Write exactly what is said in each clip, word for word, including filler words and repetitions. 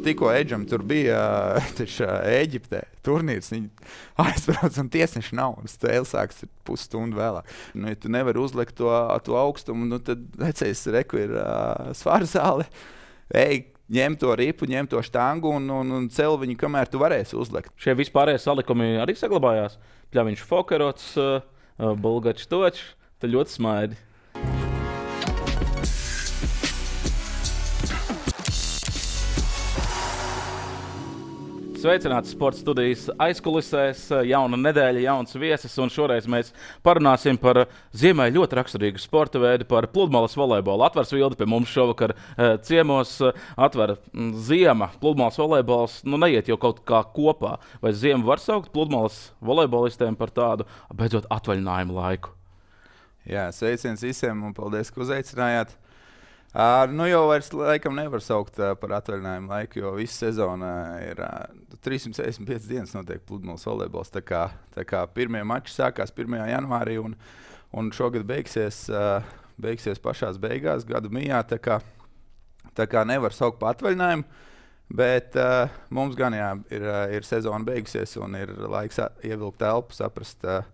tikko Edžam tur bija taču Ēģiptē turnīrs, viņi aizbrauc un tiesneši nav, un stēle sāks pusstundu vēlāk. Nu, ja tu nevari uzlikt to, to augstumu, nu, tad vecais reku ir uh, svarzāle, ej, ņem to ripu, ņem to štangu un, un, un cel viņu, kamēr tu varēsi uzlikt. Šie vispārējie salikumi arī saglabājās? Pļaviņš Fokerots, uh, Bulgačs Točs, tad ļoti smaidi. Sveicināti sporta studijas aizkulisēs, jauna nedēļa, jauns viesis, un šoreiz mēs parunāsim par ziemai ļoti raksturīgu sporta veidu, par pludmales volejbolu. Atvars Vildi pie mums šovakar ciemos, atver ziema, pludmales volejbols, nu neiet jau kaut kā kopā. Vai ziemu var saukt pludmales volejbolistiem par tādu, beidzot, atvaļinājumu laiku? Jā, sveiciens visiem un paldies, ka uzaicinājāt. Uh, nu jau vairs laikam nevar saukt uh, par atvaļinājumu laiku, jo visa sezona ir uh, trīs simts sešdesmit piecas dienas notiek pludmales volejbols. Tā kā, tā kā pirmie mači sākās pirmajā janvārī un, un šogad beigsies, uh, beigsies pašās beigās, gadu mijā. Tā kā, tā kā nevar saukt par atvaļinājumu, bet uh, mums gan jā, ir, uh, ir sezona beigusies un ir laiks ievilkt elpu, saprast, uh,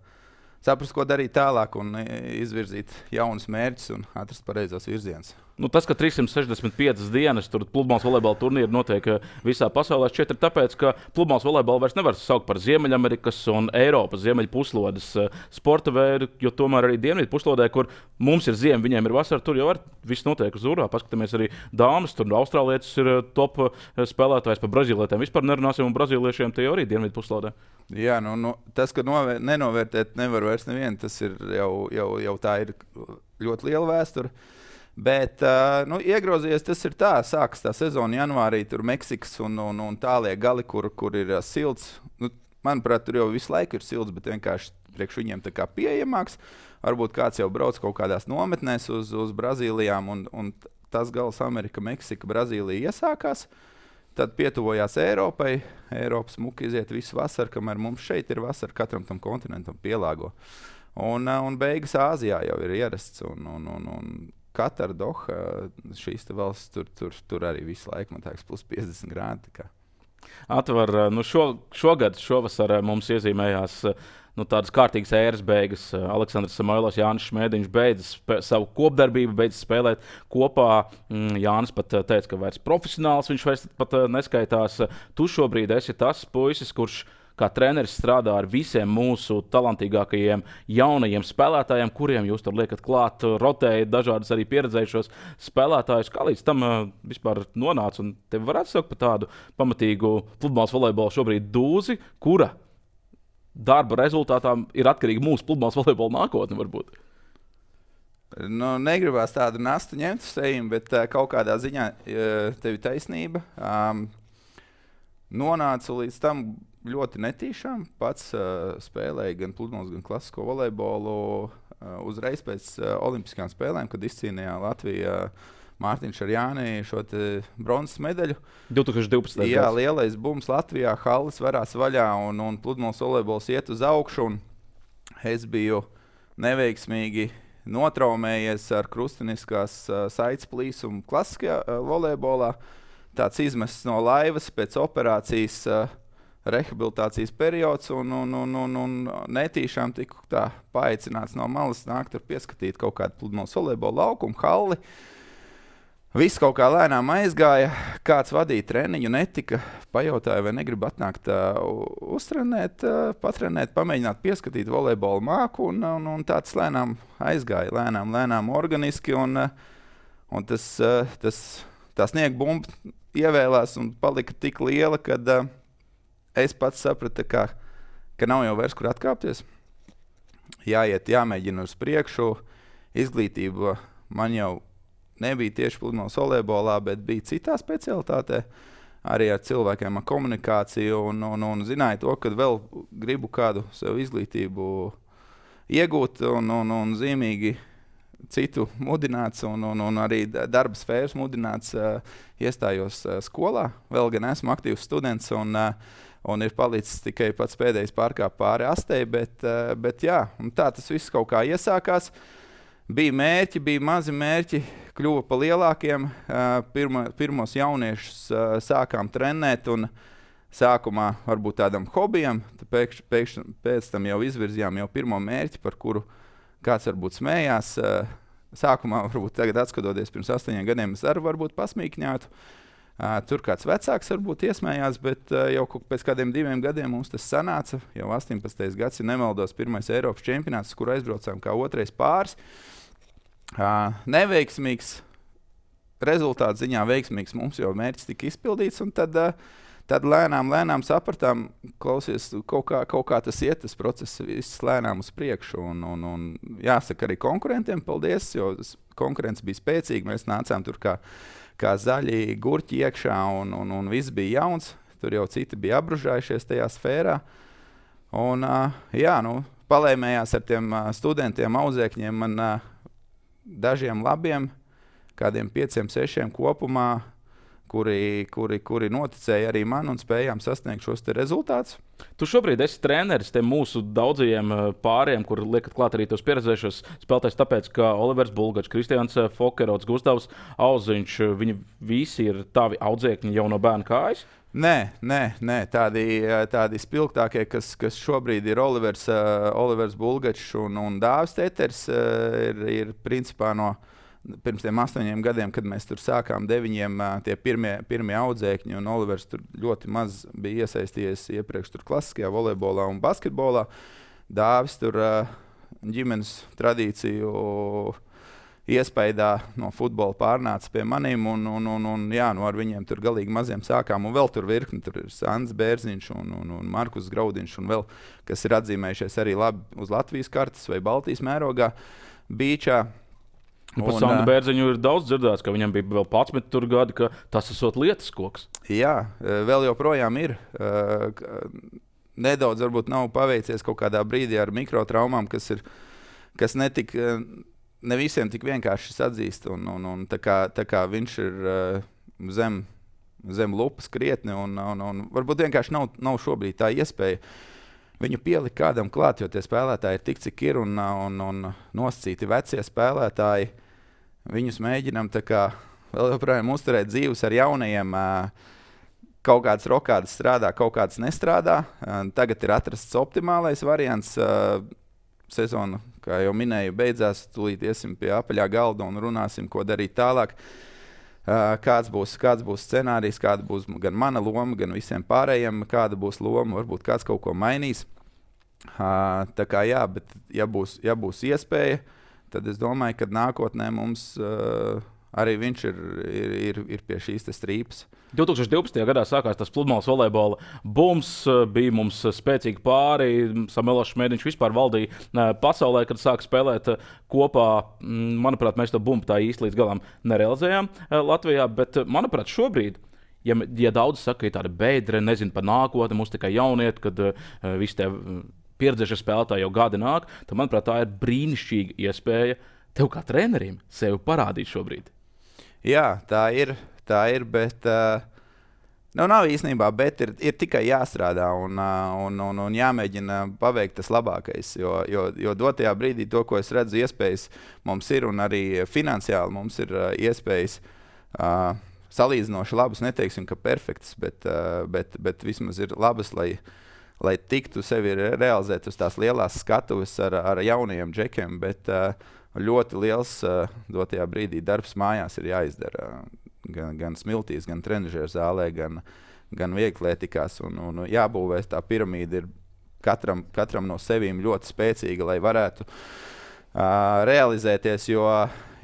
saprast, ko darīt tālāk un izvirzīt jaunus mērķus un atrast pareizos virzienus. Nu, tas, ka trīs simts sešdesmit piecas dienas tur pludmales volejbola turnīri notiek visā pasaulē, šķiet ir tāpēc, ka pludmales volejbolu vairs nevar saukt par Ziemeļamerikas un Eiropas ziemeļu puslodes sporta veidu, jo tomēr arī dienvidu puslodē, kur mums ir ziema, viņiem ir vasara, tur jau var viss notiek uz urā. Paskatāmies arī dāmas, tur austrālietis ir top spēlētājs, par brazīlietēm vispār nerunāsim, un brazīliešiem tie jau arī dienvidu puslodē. Jā, nu, nu tas, ka novēr, nenovērtēt nevar vairs nevienu, tas ir jau, jau, jau tā ir ļoti liela vēsture. Bet, uh, nu, iegrozījies tas ir tā, sākas tā sezona janvārī, tur Meksikas un, un, un tālie gali, kur, kur ir uh, silts. Nu, manuprāt, tur jau visu laiku ir silts, bet vienkārši priekš viņiem tā kā pieejamāks. Varbūt kāds jau brauc kaut kādās nometnēs uz, uz Brazīlijām, un, un tas gals Amerika, Meksika, Brazīlija iesākās. Tad pietuvojās Eiropai. Eiropas muka iziet visu vasaru, kamēr mums šeit ir vasara, katram tam kontinentam pielāgo. Un, uh, un beigas Āzijā jau ir ierasts, un, un, un, un Katara, Doha, šīs valsts, tur, tur, tur arī visu laiku, man liekas, plus piecdesmit grādi. Atvar, nu šo, šogad, šovasar mums iezīmējās nu, tādas kārtīgas ēras beigas. Aleksandrs Samoilovs, Jānis Šmēdiņš beidzas spē, savu kopdarbību, beidzas spēlēt kopā. Jānis pat teica, ka vairs profesionāls viņš vairs pat neskaitās. Tu šobrīd esi tas puisis, kurš kā treneris strādā ar visiem mūsu talantīgākajiem jaunajiem spēlētājiem, kuriem jūs tur liekat klāt, rotējat dažādas arī pieredzējušos spēlētājus. Kā līdz tam uh, vispār nonāca? Un tevi varētu saukt par tādu pamatīgu pludmales volejbolu šobrīd dūzi, kura darba rezultātā ir atkarīga mūsu pludmales volejbola nākotne varbūt? Nu, negribās tādu nastu ņemt uz sejiem, bet uh, kaut kādā ziņā uh, tev ir taisnība. Um, nonāca līdz tam ļoti netīšām. Pats uh, spēlēja gan pludmales, gan klasisko volejbolu uh, uzreiz pēc uh, olimpiskām spēlēm, kad izcīnīja Latvija uh, Mārtiņš ar Jāni šo bronzas medaļu. divi tūkstoši divpadsmitais. Jā, lielais bums Latvijā, halles varās vaļā un, un pludmales volejbols iet uz augšu. Un es biju neveiksmīgi notraumējies ar krustiniskās uh, saites plīsumu klasiskajā uh, volejbolā. Tāds izmests no laivas pēc operācijas uh, rehabilitācijas periods un, un, un, un, un netīšām tiku tā paaicināts no malas nākt tur pieskatīt kaut kādu pludmales volejbola laukumu, halli. Viss kaut kā lēnām aizgāja, kāds vadīja treniņu, netika, pajautāja, vai negrib atnākt uh, uztrenēt, uh, patrenēt, pamēģināt pieskatīt volejbola māku un, un, un tāds lēnām aizgāja, lēnām, lēnām organiski un, uh, un tas, uh, tas, tā sniega bumba ievēlās un palika tik liela, kad uh, es pats sapratu, ka, ka nav jau vairs kur atkāpties. Jāiet, jāmēģina uz priekšu. Izglītība man jau nebija tieši pludmales volejbolā, bet bija citā specialitātē. Arī ar cilvēkiem ar komunikāciju un, un, un zināju to, ka vēl gribu kādu sev izglītību iegūt un, un, un zīmīgi citu mudināts un, un, un arī darba sfēras mudināts. Uh, iestājos uh, skolā, vēl gan esmu aktīvs students un uh, un ir palicis tikai pats pēdējais pārkāp pāri astei, bet, uh, bet jā, un tā tas viss kaut kā iesākās. bija mērķi, bija mazi mērķi, kļuva pa lielākiem. Pirma, pirmos jauniešus sākām trenēt un sākumā varbūt tādam hobijam, pēkš, pēkš, pēc tam jau izvirzījām jau pirmo mērķi, par kuru kāds varbūt smējās. Sākumā, varbūt tagad atskatoties pirms astoņiem gadiem, es arī varbūt pasmīkņātu. Uh, tur kāds vecāks varbūt iesmējās, bet uh, jau pēc kādiem diviem gadiem mums tas sanāca. Jau astoņpadsmitais gads, ja nemaldos, pirmais Eiropas čempionāts, kur aizbraucām kā otrais pāris. Uh, neveiksmīgs, rezultāts ziņā veiksmīgs, mums jau mērķis tika izpildīts, un tad, uh, tad lēnām, lēnām sapratām, klausies, kaut kā, kaut kā tas iet, tas process viss lēnām uz priekšu, un, un, un jāsaka arī konkurentiem paldies, jo konkurence bija spēcīga, mēs nācām tur kā, kā zaļi gurķi iekšā, un, un, un viss bija jauns, tur jau citi bija apbružājušies tajā sfērā, un uh, jā, nu, palēmējās ar tiem uh, studentiem, audzēkņiem, man uh, dažiem labiem, kādiem pieciem, sešiem kopumā, Kuri, kuri, kuri noticēja arī man un spējām sasniegt šos te rezultātus. Tu šobrīd esi treneris tiem mūsu daudzajiem pāriem, kur liekat klāt arī tos pieredzējušos spēlētājus, tāpēc, ka Olivers Bulgačs, Kristians Fokerots, Gustavs Auziņš, viņi visi ir tavi audzēkņi jau no bērna kājas? Nē, nē, nē. Tādi, tādi spilgtākie, kas, kas šobrīd ir Olivers, uh, Olivers Bulgačs un, un Dāvis Teters, uh, ir, ir principā no pirms tiem astoņiem gadiem, kad mēs tur sākām deviņiem, tie pirmie, pirmie audzēkņi, un Olivers tur ļoti maz bija iesaistījies iepriekš tur klasiskajā volejbolā un basketbolā. Dāvis tur ģimenes tradīciju iespējā no futbola pārnāca pie maniem, un, un, un, un jā, nu ar viņiem tur galīgi maziem sākām, un vēl tur virkni, tur ir Sants Bērziņš un, un, un Markus Graudiņš, un vēl, kas ir atzīmējušies arī labi uz Latvijas kartes vai Baltijas mērogā, Bīčā. Nu, par Sandu Bērziņu ir daudz dzirdēts, ka viņam bija vēl padsmit gadi, ka tas esot lietas koks. Jā, vēl joprojām ir. Nedaudz varbūt nav paveicies kaut kādā brīdī ar mikrotraumām, kas ir, kas netik, ne visiem tik vienkārši atzīst. Un, un, un tā, kā, tā kā viņš ir zem, zem lupas krietni, un, un, un varbūt vienkārši nav, nav šobrīd tā iespēja viņu pielikt kādam klāt, jo tie spēlētāji ir tik, cik ir, un, un, un nosacīti vecie spēlētāji. Viņus mēģinām tā kā vēl joprojām uzturēt dzīves ar jaunajiem. Kaut kādas rokādas strādā, kaut kādas nestrādā. Tagad ir atrasts optimālais variants. Sezona, kā jau minēju, beidzās. Tūlīt iesim pie apaļā galda un runāsim, ko darīt tālāk. Kāds būs, kāds būs scenārijs, kāda būs gan mana loma, gan visiem pārējiem, kāda būs loma. Varbūt kāds kaut ko mainīs. Tā kā jā, bet ja būs, ja būs iespēja, tad es domāju, ka nākotnē mums uh, arī viņš ir, ir, ir, ir pie šīs strīpas. divtūkstoš divpadsmitajā gadā sākās tas pludmales volejbola bums, bija mums spēcīgi pāri, Samuēls Šmēdiņš vispār valdīja pasaulē, kad sāka spēlēt kopā. Manuprāt, mēs to bumbu tā īsti līdz galam nerealizējām Latvijā, bet manuprāt šobrīd, ja, ja daudz saka, ka ir tāda beidre, nezinu par nākotni, mums tikai jauniet, kad uh, visi tie pieredzējušie spēlētāji jau gadi nāk, tad, manuprāt, tā ir brīnišķīga iespēja tev kā trenerim sevi parādīt šobrīd. Jā, tā ir, tā ir, bet uh, nu, nav īstenībā, bet ir, ir tikai jāstrādā un, uh, un, un, un jāmēģina paveikt tas labākais, jo, jo, jo dotajā brīdī to, ko es redzu, iespējas mums ir, un arī finansiāli mums ir uh, iespējas uh, salīdzinoši labas, neteiksim, ka perfektas, bet, uh, bet, bet vismaz ir labas, lai lai tiktu sevi realizēt uz tās lielās skatuves ar, ar jaunajiem džekiem, bet uh, ļoti liels uh, dotajā brīdī darbs mājās ir jāizdara. Gan, gan smiltīs, gan trenižera zālē, gan, gan vieglietikās. Un, un jābūvē tā piramīda ir katram, katram no sevīm ļoti spēcīga, lai varētu uh, realizēties, jo,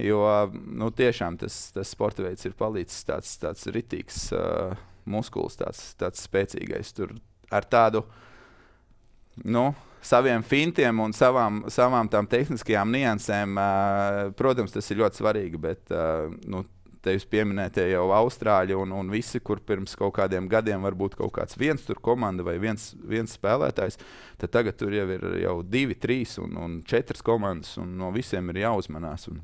jo nu, tiešām tas, tas sporta veids ir palicis tāds, tāds ritīgs uh, muskulis, tāds, tāds spēcīgais. Tur ar tādu nu, saviem fintiem un savām, savām tām tehniskajām niansēm, uh, protams, tas ir ļoti svarīgi, bet uh, nu, tevis pieminētie jau Austrāļi un, un visi, kur pirms kaut kādiem gadiem varbūt kaut kāds viens tur komanda vai viens, viens spēlētājs, tad tagad tur jau ir jau divi, trīs un, un četras komandas, un no visiem ir jāuzmanās. Un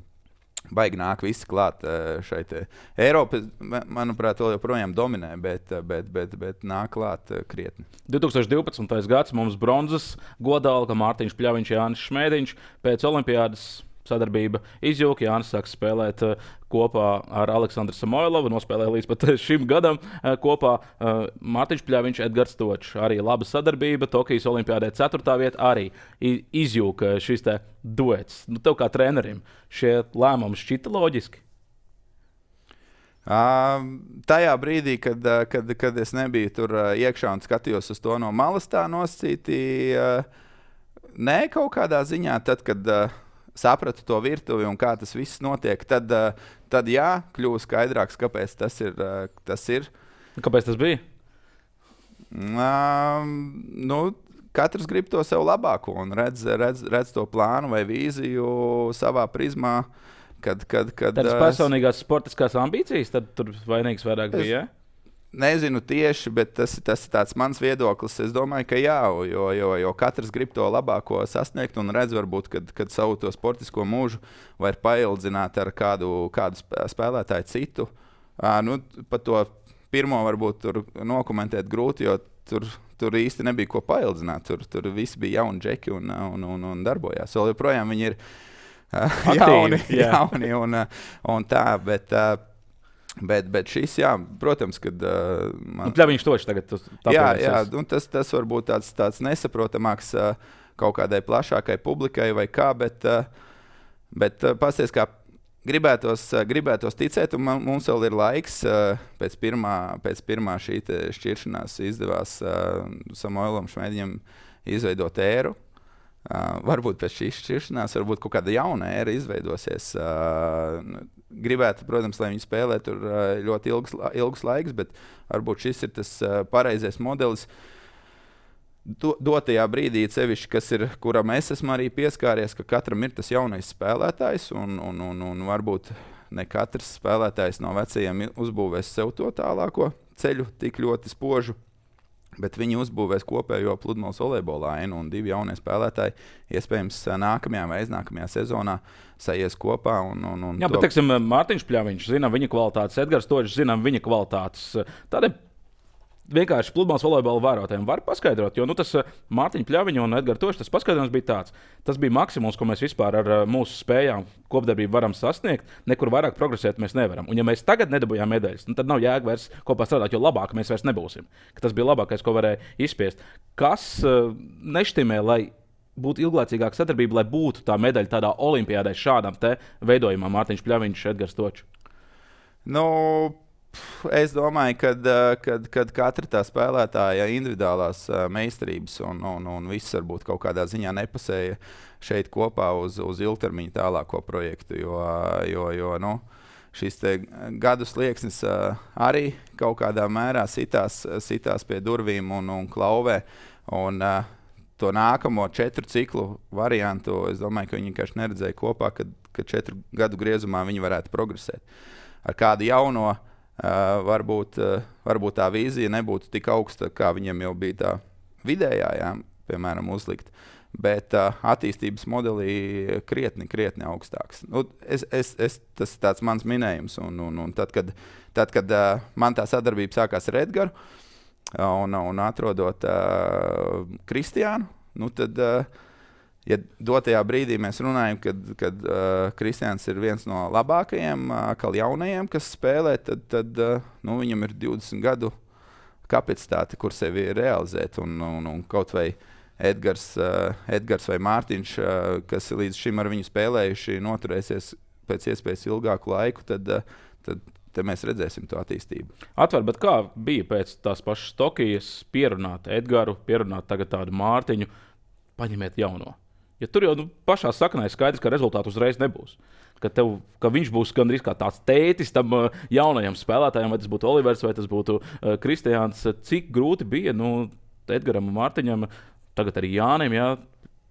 baigi nāk visi klāt šai te. Eiropa, manuprāt, vēl joprojām dominē, bet, bet, bet, bet nāk klāt krietni. divtūkstoš divpadsmitais gads mums bronzas godalga, Mārtiņš Pļaviņš, Jānis Šmēdiņš. Pēc olimpiādas sadarbība izjūka. Jānis sāks spēlēt uh, kopā ar Aleksandru Samoilovu, nospēlēja līdz pat šim gadam uh, kopā. Uh, Mārtiņš Pļaviņš, Edgars Točs, arī laba sadarbība. Tokijas olimpiādē ceturtā vieta arī izjūka šis te duets. Nu, tev kā trenerim šie lēmumi šķita loģiski? Uh, tajā brīdī, kad, kad, kad es nebiju tur uh, iekšā un skatījos uz to no malas tā nosacīti, uh, nē, kaut kādā ziņā, tad, kad uh, sapratu to virtuvi un kā tas viss notiek, tad, uh, tad jā, kļuva skaidrāks, kāpēc tas ir. Uh, tas ir. Kāpēc tas bija? Uh, nu, katrs grib to sev labāko un redz, redz, redz to plānu vai vīziju savā prizmā. Kad, kad, kad, Tādas personīgās sportiskās ambīcijas, tad tur vainīgs vairāk es bija, ja? Nezinu tieši, bet tas, tas ir tāds mans viedoklis. Es domāju, ka jā, jo, jo, jo katrs grib to labāko sasniegt un redz varbūt, kad, kad savu to sportisko mūžu var paildzināt ar kādu, kādu spēlētāju citu. À, nu, pat to pirmo varbūt tur nokomentēt grūti, jo tur, tur īsti nebija ko paildzināt. Tur, tur visi bija jauni džeki un, un, un, un darbojās. Vēl joprojām viņi ir jauni, yeah. jauni un, un tā, bet, bet, bet šis, jā, protams, kad man... Nu, Pļaviņš Točs tagad jā, jā, un tas, tas varbūt tāds, tāds nesaprotamāks kaut kādai plašākai publikai vai kā, bet, bet pasties, kā gribētos, gribētos ticēt, un mums vēl ir laiks pēc pirmā, pēc pirmā šī šķiršanās izdevās Samoilam Šmēdiņam izveidot éru. Uh, varbūt pēc šīs šķiršanās, varbūt kaut kāda jauna ēra izveidosies. Uh, gribētu, protams, lai viņi spēlē tur uh, ļoti ilgs, ilgs laiks, bet varbūt šis ir tas uh, pareizais modelis. Do, dotajā brīdī, sevišķi, kas ir, kuram es esmu arī pieskāries, ka katram ir tas jaunais spēlētājs, un, un, un, un varbūt ne katrs spēlētājs no vecajiem uzbūvēs sev to tālāko ceļu tik ļoti spožu. Bet viņi uzbūvēs kopējo pludmales volejbola ainu, un divi jaunie spēlētāji iespējams nākamajā vai aiznākamajā sezonā sajies kopā. Un, un, un Jā, to... bet, teiksim, Mārtiņš Pļaviņš, zinām viņa kvalitātes, Edgars Točs, zinām viņa kvalitātes. Tādiem vienkārši pludmales volejbola vērotājiem var paskaidrot, jo nu, tas Mārtiņa Pļaviņa un Edgars Točs, tas paskaidrojums bija tāds. Tas bija maksimums, ko mēs vispār ar mūsu spējām kopdarbību varam sasniegt. Nekur vairāk progresēt mēs nevaram. Un ja mēs tagad nedabūjām medaļas, nu, tad nav jēga vairs kopā strādāt, jo labāk mēs vairs nebūsim. Ka tas bija labākais, ko varēja izspiest. Kas uh, neštimē, lai būtu ilglaicīgāka sadarbība, lai būtu tā medaļa tādā olimpiādē šādam te veidojumam Mārtiņš Pļaviņš, Edgars Točs? Nu... Es domāju, ka kad, kad katra tā spēlētāja individuālās meistarības un, un, un viss varbūt kaut kādā ziņā nepasēja šeit kopā uz, uz ilgtermiņa tālāko projektu, jo, jo, jo nu, šis gadu slieksnis arī kaut kādā mērā sitās, sitās pie durvīm un, un klauvē. Un, to nākamo četru ciklu variantu, es domāju, ka viņi vienkārši neredzēja kopā, kad, kad četru gadu griezumā viņi varētu progresēt. Ar kādu jauno Uh, varbūt, uh, varbūt tā vīzija nebūtu tik augsta, kā viņiem jau bija tā vidējā, jā, piemēram, uzlikt, bet uh, attīstības modelī krietni, krietni augstāks. Nu, es, es, es, tas ir tāds mans minējums, un, un, un tad, kad, tad, kad uh, man tā sadarbība sākās ar Edgaru un, un atrodot uh, Kristiānu, nu tad... Uh, Ja dotajā brīdī mēs runājam, kad, kad uh, Kristiāns ir viens no labākajiem, uh, jaunajiem, kas spēlē, tad, tad uh, nu, viņam ir divdesmit gadu kapacitāte, kur sevi realizēt. Un, un, un kaut vai Edgars, uh, Edgars vai Mārtiņš, uh, kas līdz šim ar viņu spēlējuši, noturēsies pēc iespējas ilgāku laiku, tad, uh, tad te mēs redzēsim to attīstību. Atver, bet kā bija pēc tās pašas Tokijas pierunāt Edgaru, pierunāt tagad tādu Mārtiņu, paņemiet jauno? Ja tur jau nu, pašā saknē ir skaidrs, ka rezultātu uzreiz nebūs. Ka, tev, ka viņš būs gandrīz kā tāds tētis tam uh, jaunajam spēlētājam, vai tas būtu Olivers, vai tas būtu uh, Kristiāns. Cik grūti bija nu, Edgaram un Mārtiņam, tagad arī Jānim, jā,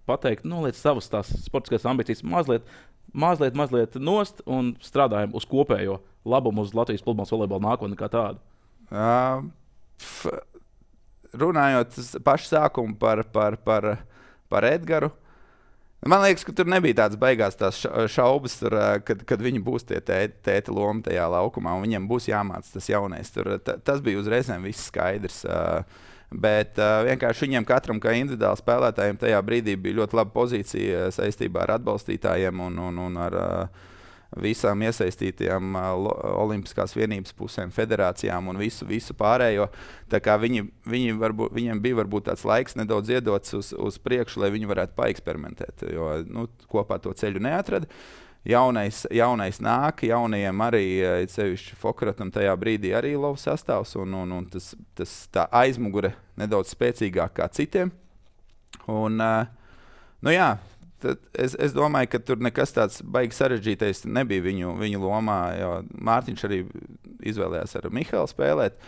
pateikt, nu, liec savas tās sportiskās ambīcijas mazliet, mazliet, mazliet nost un strādājam uz kopējo labumu, uz Latvijas pludmales volejbola nākotni kā tādu. Uh, f, runājot pašu sākumu par, par, par, par Edgaru, man liekas, ka tur nebija tādas baigās tās šaubas, tur, kad, kad viņi būs tie tēti, tēti loma tajā laukumā, un viņiem būs jāmāc tas jaunais. Tur, t, tas bija uzreizēm viss skaidrs. Bet uh, vienkārši viņiem katram, kā individuāli spēlētājiem, tajā brīdī bija ļoti laba pozīcija saistībā ar atbalstītājiem un, un, un ar uh, visām iesaistītajām uh, olimpiskās vienības pusēm, federācijām un visu, visu pārējo. Tā kā viņi, viņi varbūt, viņiem bija varbūt tāds laiks nedaudz iedots uz, uz priekšu, lai viņi varētu paeksperimentēt, jo nu, kopā to ceļu neatrada. Jaunais, jaunais nāk, jaunajiem arī, sevišķi Fokaratam tajā brīdī arī lova sastāvs, un, un, un tas, tas tā aizmugure nedaudz spēcīgāk kā citiem. Un, nu jā, es, es domāju, ka tur nekas tāds baigi sarežģītais nebija viņu, viņu lomā, jo Mārtiņš arī izvēlējās ar Mihālu spēlēt.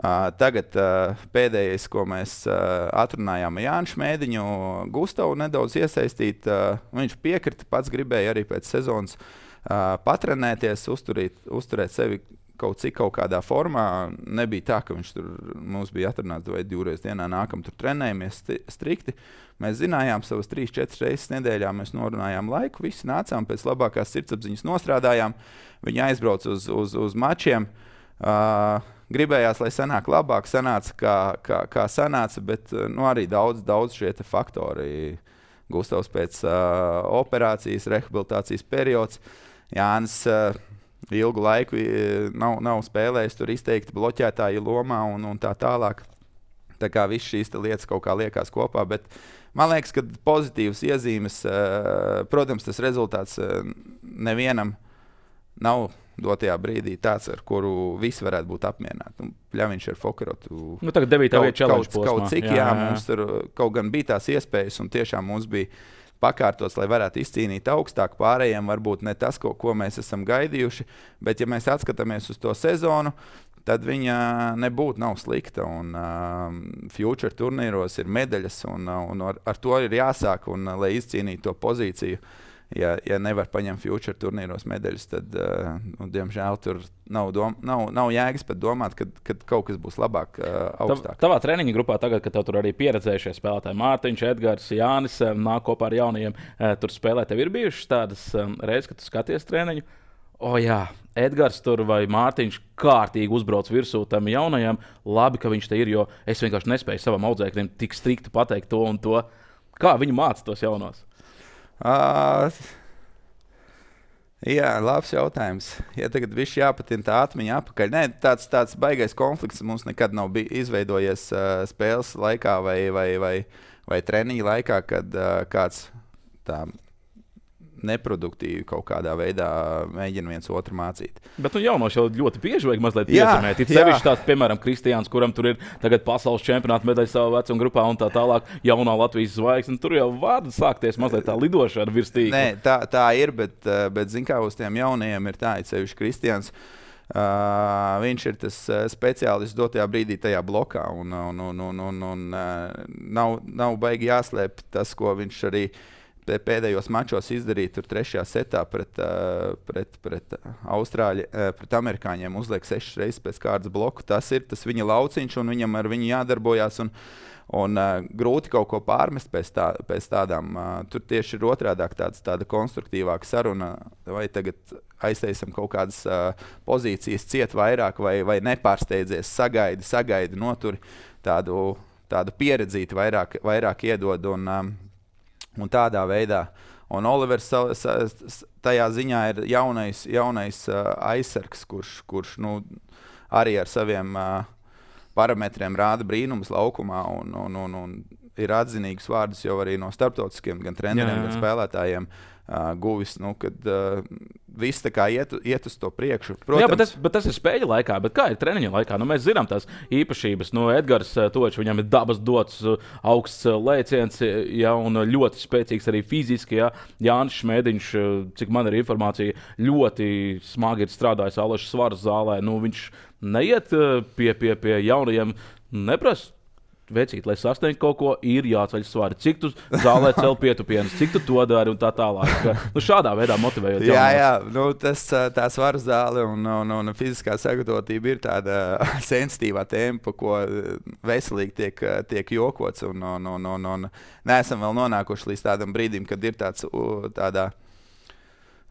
Uh, tagad uh, pēdējais, ko mēs uh, atrunājām ar Jānu Šmēdiņu, Gustavu nedaudz iesaistīt. Uh, viņš piekrita, pats gribēja arī pēc sezonas uh, patrenēties, uzturīt, uzturēt sevi kaut cik kaut kādā formā. Nebija tā, ka viņš tur mums bija atrunāts vai divreiz dienā nākam tur trenējamies strikti. Mēs zinājām savas trīs, četras reizes nedēļā, mēs norunājām laiku, visi nācām, pēc labākās sirdsapziņas nostrādājām. Viņi aizbrauc uz, uz, uz mačiem. Uh, Gribējās, lai sanāk labāk, sanāca kā, kā, kā sanāca, bet nu, arī daudz, daudz šie faktori. Gustavs pēc uh, operācijas, rehabilitācijas periods. Jānis uh, ilgu laiku nav, nav spēlējis tur izteikti bloķētāju lomā un, un tā tālāk. Tā kā viss šīs lietas kaut kā liekas kopā, bet man liekas, ka pozitīvas iezīmes, uh, protams, tas rezultāts uh, nevienam nav dotajā brīdī tāds, ar kuru visi varētu būt apmierināti. Pļaviņš ar Fokarotu. Nu, tagad devītā vieta challenge posmā. Kaut cik, jā, jā, jā. Mums tur kaut gan bija tās iespējas, un tiešām mums bija pakārtots, lai varētu izcīnīt augstāk. Pārējiem varbūt ne tas, ko, ko mēs esam gaidījuši, bet ja mēs atskatāmies uz to sezonu, tad viņa nebūtu nav slikta. Un, uh, future turnīros ir medaļas, un, uh, un ar, ar to ir jāsāk, un, uh, lai izcīnītu to pozīciju. Ja, ja nevar paņemt future turnīros medaļas, tad, uh, nu, diemžēl, tur nav, dom, nav, nav jēgas pat domāt, kad, kad kaut kas būs labāk, uh, augstāk. Tavā treniņa grupā tagad, kad tev tur arī pieredzējušie spēlētāji Mārtiņš, Edgars, Jānis, nāk kopā ar jaunajiem, uh, tur spēlē, tev ir bijušas tādas um, reizes, kad tu skaties treniņu? O jā, Edgars tur vai Mārtiņš kārtīgi uzbrauc virsū tam jaunajam. Labi, ka viņš te ir, jo es vienkārši nespēju savam audzēknim tik strikti pateikt to un to. Kā viņi māca tos jaunos? Uh, jā, labs jautājums. Ja tagad viss jāpatina tā atmiņa apakaļ. Nē, tāds, tāds baigais konflikts mums nekad nav bij, izveidojies uh, spēles laikā vai, vai, vai, vai treniņa laikā, kad uh, kāds tā neproduktīvi kaut kādā veidā mēģina viens otru mācīt. Bet nu jaunos jau ļoti bieži vajag mazliet piezemēt. Ir sevišķi tāds, piemēram, Kristiāns, kuram tur ir tagad pasaules čempionāta medaļa savā vecuma grupā un tā tālāk, jaunā Latvijas zvaigzne. Tur jau var sākties mazliet tā lidošana virs tīkla. Nē, tā, tā ir, bet, bet zin kā uz tiem jaunajiem ir tā, it sevišķi Kristiāns. Uh, viņš ir tas uh, speciālists dotajā brīdī tajā blokā, un, un, un, un, un, un uh, nav, nav baigi jāslēp tas, ko viņš arī pēdējos mačos izdarīja tur trešajā setā pret, uh, pret, pret Austrāļi, uh, pret amerikāņiem uzliek sešas reizes pēc kārtas bloku. Tas ir tas viņa lauciņš, un viņam ar viņu jādarbojās, un, un uh, grūti kaut ko pārmest pēc, tā, pēc tādām. Uh, tur tieši ir otrādāk tāds, tāda konstruktīvāka saruna, vai tagad aiztaisam kaut kādas uh, pozīcijas ciet vairāk, vai, vai nepārsteidzies, sagaidi, sagaidi, noturi tādu, tādu pieredzīti vairāk, vairāk iedod, un um, Un tādā veidā. Un Olivers tajā ziņā ir jaunais, jaunais uh, aizsargs, kurš, kurš nu, arī ar saviem uh, parametriem rāda brīnumus laukumā un, un, un, un ir atzinīgs vārdus jau arī no starptautiskiem gan treneriem, gan spēlētājiem uh, guvis, nu, kad uh, viss tā kā iet, iet uz to priekšu. Protams, jā, bet tas, bet tas ir spēļu laikā, bet kā ir treniņa laikā? Nu, mēs zinām tās īpašības. Nu, Edgars Točs, viņam ir dabas dots augsts lēciens, ja, un ļoti spēcīgs arī fiziski. Ja. Jānis Šmēdiņš, cik man ir informācija, ļoti smagi ir strādājis Aleša Svaras zālē. Nu, viņš neiet pie, pie, pie jaunajiem, neprasa. Vecīt, lai sasniegtu kaut ko, ir jāceļ svari. Cik tu zālē cel pietupienus, cik tu to dari un tā tālāk. Nu, šādā veidā motivējot jaunos. Jā, jā, nu, tas, tā svaru zāle un, un, un fiziskā sagatavotība ir tāda sensitīvā tēma, pa ko veselīgi tiek, tiek jokots. Un, un, un, un, un neesam vēl nonākuši līdz tādam brīdim, kad ir tāds tādā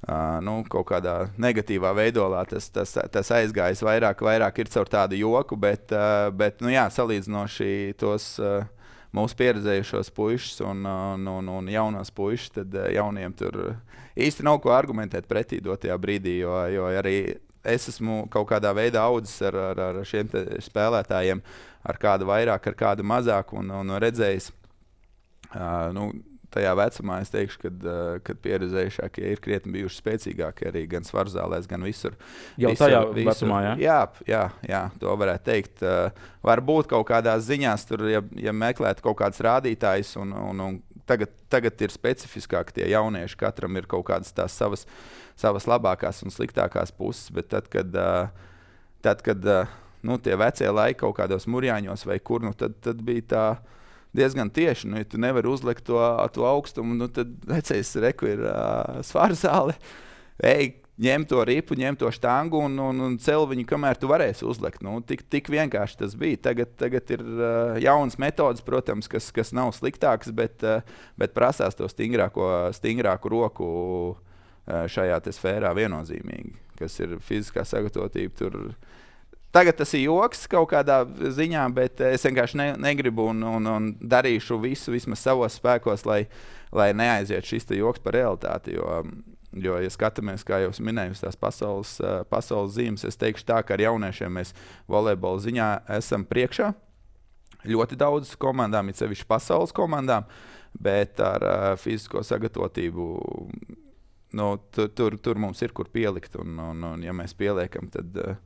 Uh, nu, kaut kādā negatīvā veidolā tas, tas, tas aizgājis vairāk, vairāk ir caur tādu joku, bet, uh, bet nu, jā, salīdzinoši tos uh, mūsu pieredzējušos puišus un, un, un, un jaunos puišus, tad uh, jauniem tur īsti nav ko argumentēt pretī dotajā brīdī, jo, jo arī es esmu kaut kādā veidā audzis ar, ar, ar šiem spēlētājiem, ar kādu vairāk, ar kādu mazāk un, un redzējis. Uh, nu, Tajā vecumā es teikšu, kad, uh, kad pieredzējušākie ir krietni bijuši spēcīgākie arī gan svarzālēs, gan visur. Jau visur, tajā visur. vecumā, jā? Jā, jā, jā, to varētu teikt. Uh, varbūt kaut kādās ziņās, tur, ja, ja meklētu kaut kāds rādītājs, un, un, un tagad, tagad ir specifiskāk tie jaunieši, katram ir kaut kādas tās savas, savas labākās un sliktākās puses, bet tad, kad, uh, tad, kad uh, nu, tie vecie laiki kaut kādos murjāņos vai kur, nu, tad, tad bija tā diezgan tieši. Nu, ja tu nevari uzlikt to, to augstumu, nu, tad vecais reku ir uh, svarzāle. Ej, ņem to ripu, ņem to štangu un, un, un cel viņu, kamēr tu varēsi uzlikt. Nu, tik, tik vienkārši tas bija. Tagad, tagad ir uh, jaunas metodas, protams, kas, kas nav sliktākas, bet, uh, bet prasās to stingrāko, stingrāku roku uh, šajā te sfērā viennozīmīgi, kas ir fiziskā sagatavotība. Tur Tagad tas ir joks kaut kādā ziņā, bet es vienkārši ne, negribu un, un, un darīšu visu vismaz savos spēkos, lai, lai neaiziet šis te joks par realitāti. Jo, jo, ja skatāmies, kā jau minēju, tās pasaules, pasaules zīmes, es teikšu tā, ka ar jauniešiem mēs volejbola ziņā esam priekšā. Ļoti daudz komandām, it sevišķi pasaules komandām, bet ar uh, fizisko sagatavotību nu, tur, tur, tur mums ir kur pielikt. Un, un, un ja mēs pieliekam, tad... Uh,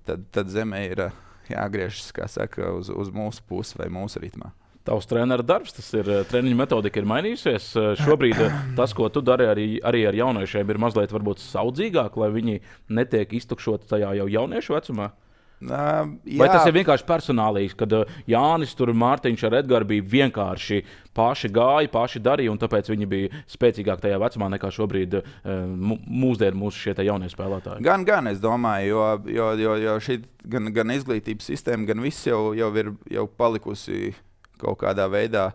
Tad, tad zemē ir jāgriežas, kā saka, uz, uz mūsu pusi vai mūsu ritmā. Tavs treneru darbs, tas ir treniņu metodika ir mainījusies. Šobrīd tas, ko tu dari arī, arī ar jauniešiem, ir mazliet varbūt saudzīgāk, lai viņi netiek iztukšoti tajā jau jauniešu vecumā? Uh, Vai tas ir vienkārši personālīs, kad uh, Jānis, tur Mārtiņš ar Edgars bija vienkārši paši gāja, paši darīja, un tāpēc viņi bija spēcīgāki tajā vecumā nekā šobrīd uh, mūsdienu mūsu šie jaunie spēlētāji? Gan, gan es domāju, jo, jo, jo, jo šī gan, gan izglītības sistēma, gan viss jau, jau ir jau palikusi kaut kādā veidā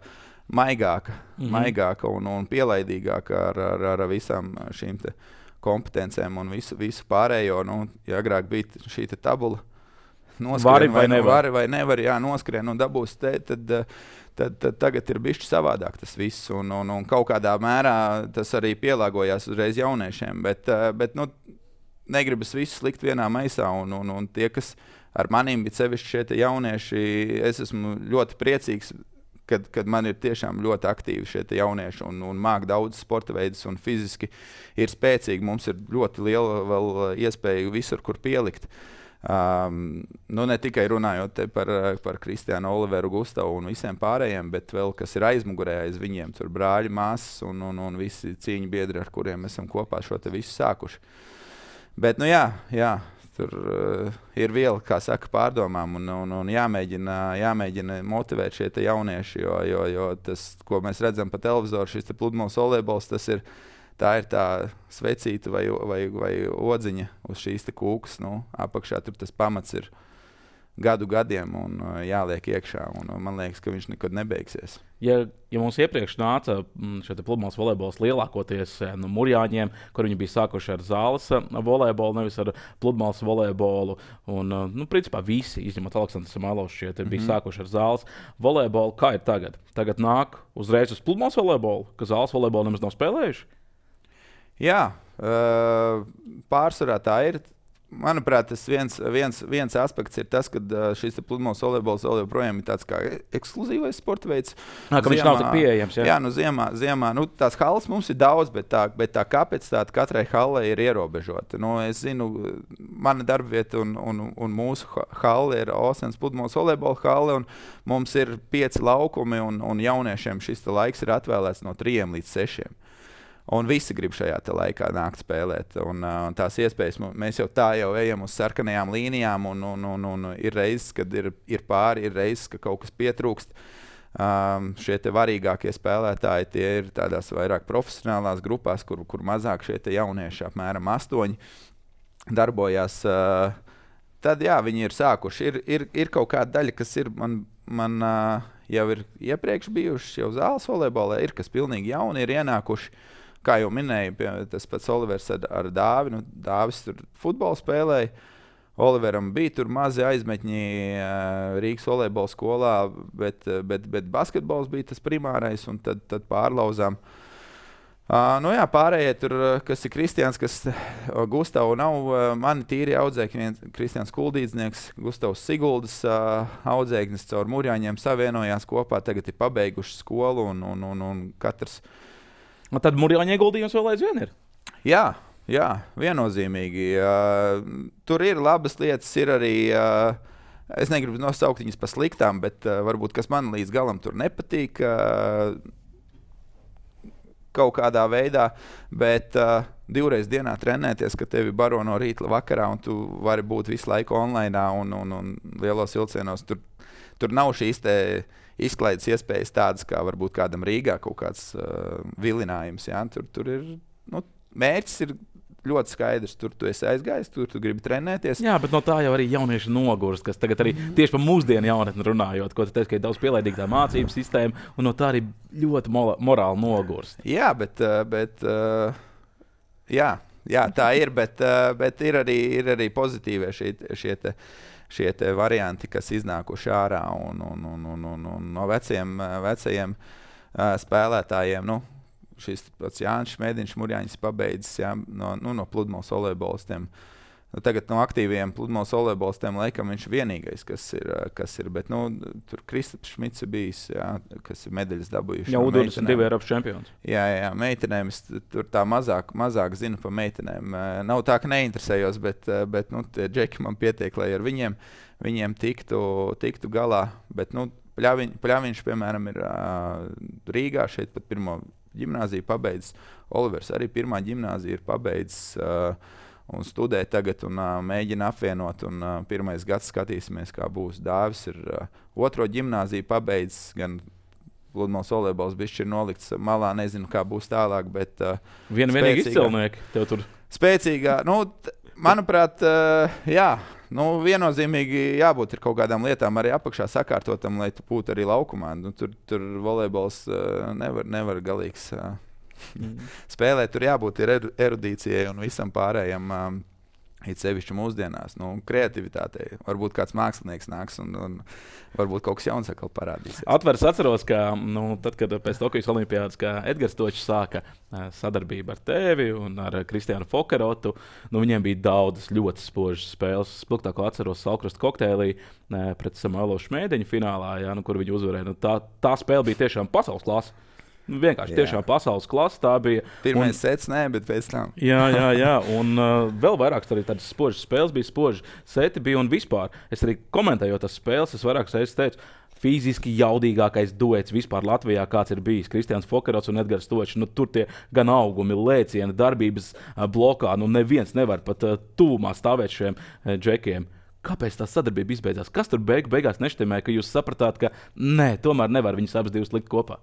maigāka, mm-hmm. maigāka un, un pielaidīgāka ar, ar, ar visām šīm te kompetencēm un visu, visu pārējo. Nu, ja agrāk bija šī te tabula, noskrien, vai, vai nevar, vari vai nevar, jā, noskrien un dabūs te, tad, tad, tad tagad ir bišķi savādāk tas viss, un, un, un kaut kādā mērā tas arī pielāgojās uzreiz jauniešiem, bet, bet nu, negribas visus likt vienā maisā, un, un, un tie, kas ar maniem bija sevišķi šie te jaunieši, es esmu ļoti priecīgs, kad, kad man ir tiešām ļoti aktīvi šie te jaunieši un, un māk daudz sporta veidus un fiziski ir spēcīgi, mums ir ļoti liela vēl iespēja visur, kur pielikt. Um, nu ne tikai runājot par, par Kristiānu, Oliveru, Gustavu un visiem pārējiem, bet vēl kas ir aizmugurē aiz viņiem, tur brāļi, māsas un, un, un visi cīņu biedri, ar kuriem esam kopā šo te visu sākuši. Bet nu jā, jā tur uh, ir viela, kā saka, pārdomām un, un, un jāmēģina, jāmēģina motivēt šie te jaunieši, jo, jo, jo tas, ko mēs redzam pa televizoru, šis te pludmales volejbols, tas ir tā ir tā svecīta vai, vai, vai odziņa uz šīs te kūkas. Nu, apakšā tur tas pamats ir gadu gadiem un uh, jāliek iekšā. Un, uh, man liekas, ka viņš nekad nebeigsies. Ja, ja mums iepriekš nāca šeit pludmales volejbols lielākoties no Murjāņiem, kur viņi bija sākuši ar zāles volejbolu, nevis ar pludmales volejbolu. Un, uh, nu, principā visi, izņemot Aleksandru Samailovu, šeit mm-hmm. bija sākuši ar zāles volejbolu. Kā ir tagad? Tagad nāk uzreiz uz pludmales volejbolu, ka zāles volejbolu nemaz nav spēlējuši? Jā, uh, pārsvarā tā ir. Manuprāt, tas viens, viens, viens aspekts ir tas, ka šis pludmales volejbols vēl joprojām ir tāds kā ekskluzīvais sporta veids. Nā, ka ziemā, viņš nav tik pieejams. Jā, jā nu ziemā, ziemā nu, tās halles mums ir daudz, bet tā, bet tā kapacitāte katrai hallei ir ierobežota. Nu, es zinu, mana darbvieta un, un, un mūsu halle ir Osens pludmales volejbola halle, un mums ir pieci laukumi, un, un jauniešiem šis laiks ir atvēlēts no trījiem līdz sešiem. Un visi grib šajā te laikā nākt spēlēt. Un, un tās iespējas, mēs jau tā jau ejam uz sarkanajām līnijām, un, un, un, un ir reizes, kad ir, ir pāri, ir reizes, ka kaut kas pietrūkst. Um, šie te varīgākie spēlētāji, tie ir tādās vairāk profesionālās grupās, kur, kur mazāk šie te jaunieši, apmēram astoņi, darbojās. Uh, tad jā, viņi ir sākuši. Ir, ir, ir kaut kāda daļa, kas ir man, man uh, jau ir iepriekš bijuši jau zāles volejbolē, ir kas pilnīgi jauni ir ienākuši. kā jau minēju, pie, tas pats Olivers ar, ar Dāvi. Nu, Dāvis tur futbolu spēlēja. Oliveram bija tur mazi aizmetņi Rīgas volejbola skolā, bet, bet, bet basketbols bija tas primārais, un tad, tad pārlauzām. Uh, nu jā, pārējie tur, kas ir Kristians, kas Gustavu nav, uh, mani tīri audzēkņi, viens Kristians Kuldīdznieks, Gustavs Siguldas uh, audzēknis caur Murjāņiem savienojās kopā, tagad ir pabeiguši skolu, un, un, un, un katrs... Un tad Murjāņu ieguldījums vēl aizvien ir? Jā. Jā, viennozīmīgi. Uh, tur ir labas lietas, ir arī, uh, es negribu nosaukt viņas par sliktām, bet uh, varbūt, kas man līdz galam tur nepatīk uh, kaut kādā veidā, bet uh, divreiz dienā trenēties, ka tevi baro no rīta vakarā, un tu vari būt visu laiku online un, un, un lielos vilcienos. Tur, tur nav šīs te izklaides iespējas tādas, kā varbūt kādam Rīgā kaut kāds uh, vilinājums. Jā? Tur, tur ir, nu, mērķis ir ļoti skaidrs. Tur tu esi aizgājis, tur tu gribi trenēties. Jā, bet no tā jau arī jaunieši nogurst, kas tagad arī tieši par mūsdienu jaunatni runājot, ko tu teici, ka ir daudz pielaidīga tā mācību sistēma, un no tā arī ļoti morāli nogurst. Jā, bet, bet jā, jā, tā ir, bet, bet ir, arī, ir arī pozitīvie šie, šie, te, šie te varianti, kas iznākuši ārā un, un, un, un, un, un no veciem, vecajiem spēlētājiem, nu, šis pats Jānis Šmēdiņš, Murjāņas pabeidzis, jā, no, nu, no pludmales volejbolistiem. Nu, tagad no aktīviem pludmales volejbolistiem laikam viņš vienīgais, kas ir, kas ir, bet nu, tur Kristaps Šmits ir bijis, jā, kas ir medaļas dabūjuši. Jā, U divdesmit divi Eiropas čempions. Jā, jā, meitenēm es tur tā mazāk, mazāk zinu par meitenēm. Nav tā, ka neinteresējos, bet, bet nu, tie džeki man pietiek, lai ar viņiem, viņiem tiktu, tiktu galā. Bet, nu, Pļaviņ, Pļaviņš, piemēram, ir uh, Rīgā, šeit pat pirmo ģimnāziju pabeidzis. Olivers arī pirmā ģimnāzija ir pabeidzis uh, un studē tagad un uh, mēģina apvienot. Un, uh, pirmais gads skatīsimies, kā būs. Dāvis ir uh, otro ģimnāziju pabeidzis, gan pludmales volejbols bišķi ir nolikts malā, nezinu, kā būs tālāk, bet uh, Vien vienīgi izcilnieki tev tur. Spēcīgā, nu, t, manuprāt, uh, jā, nu, viennozīmīgi jābūt ir kaut kādām lietām arī apakšā sakārtotam, lai tu būtu arī laukumā. Nu, tur, tur volejbols uh, nevar, nevar galīgs uh, mm. spēlēt. Tur jābūt ir erudīcijai un visam pārējiem, um, it sevišķi mūsdienās. Nu, kreativitātei. Varbūt kāds mākslinieks nāks un, un varbūt kaut kas jauns atkal parādīsies. Atvers atceros, ka nu, tad, kad pēc Tokijas olimpiādas, kā Edgars Točs sāka sadarbību ar tevi un ar Kristiānu Fokerotu, nu, viņiem bija daudzas ļoti spožas spēles. Spilgtāko atceros Salkrusta kokteilī pret Samuelu Šmēdiņu finālā, jā, nu, kur viņi uzvarēja. Nu, tā, tā spēle bija tiešām pasaules klasa. Nu, vienkārši jā. Tiešām pasaules klasa tā bija. Pirmais un, sets, nē, bet pēc tam. Jā, jā, jā. Un uh, vēl vairāk arī tādas spožas spēles bija, spoži seti bija un vispār. Es arī komentējot tās spēles, es vairākas reizes teicu, fiziski jaudīgākais duets vispār Latvijā, kāds ir bijis. Kristians Fokerots un Edgars Točs. Nu, tur tie gan augumi, lēcieni, darbības uh, blokā. Nu, neviens nevar pat uh, tūmā stāvēt šiem uh, džekiem. Kāpēc tā sadarbība izbeidzās? Kas tur beig, beigās neštimē, ka jūs sapratāt, ka nē, tomēr nevar viņus abas divas likt kopā?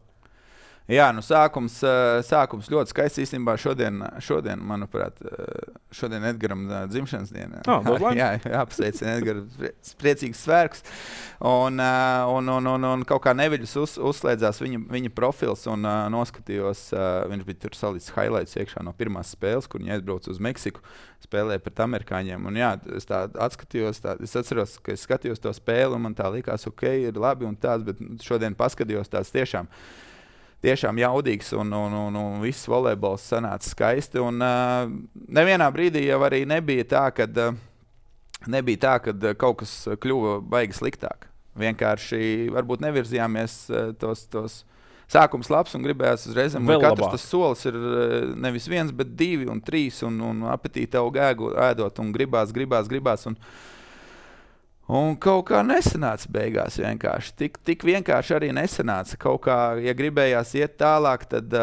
Jā, nu sākums, sākums ļoti skaists īstenībā šodien, šodien, manuprāt, šodien Edgaram dzimšanas diena. Oh, jā, jāpasveicina Edgaram, priecīgs svētks. Un, un, un, un, un kaut kā neviļus uz, uzslēdzās viņa, viņa profils un uh, noskatījos, uh, viņš bija tur salīdz highlights iekšā no pirmās spēles, kur viņi aizbrauca uz Meksiku, spēlēja pret amerikāņiem. Un jā, es tā atskatījos, tā, es atceros, ka es skatījos to spēli un man tā likās, ok, ir labi un tāds, bet šodien paskatījos tāds tiešām. Tiešām jaudīgs un, un, un, un viss volejbols sanāca skaisti. Un, uh, nevienā brīdī jau arī nebija tā, kad, uh, nebija tā, kad kaut kas kļuva baigi sliktāk. Vienkārši varbūt nevirzījāmies uh, tos, tos sākums labs un gribējās uzreiz. Katrs tas solis ir uh, nevis viens, bet divi un trīs un, un apetīti aug ēdot un gribās, gribās, gribās. Un, Un kaut kā nesanāca beigās vienkārši. Tik, tik vienkārši arī nesanāca. Kaut kā, ja gribējās iet tālāk, tad,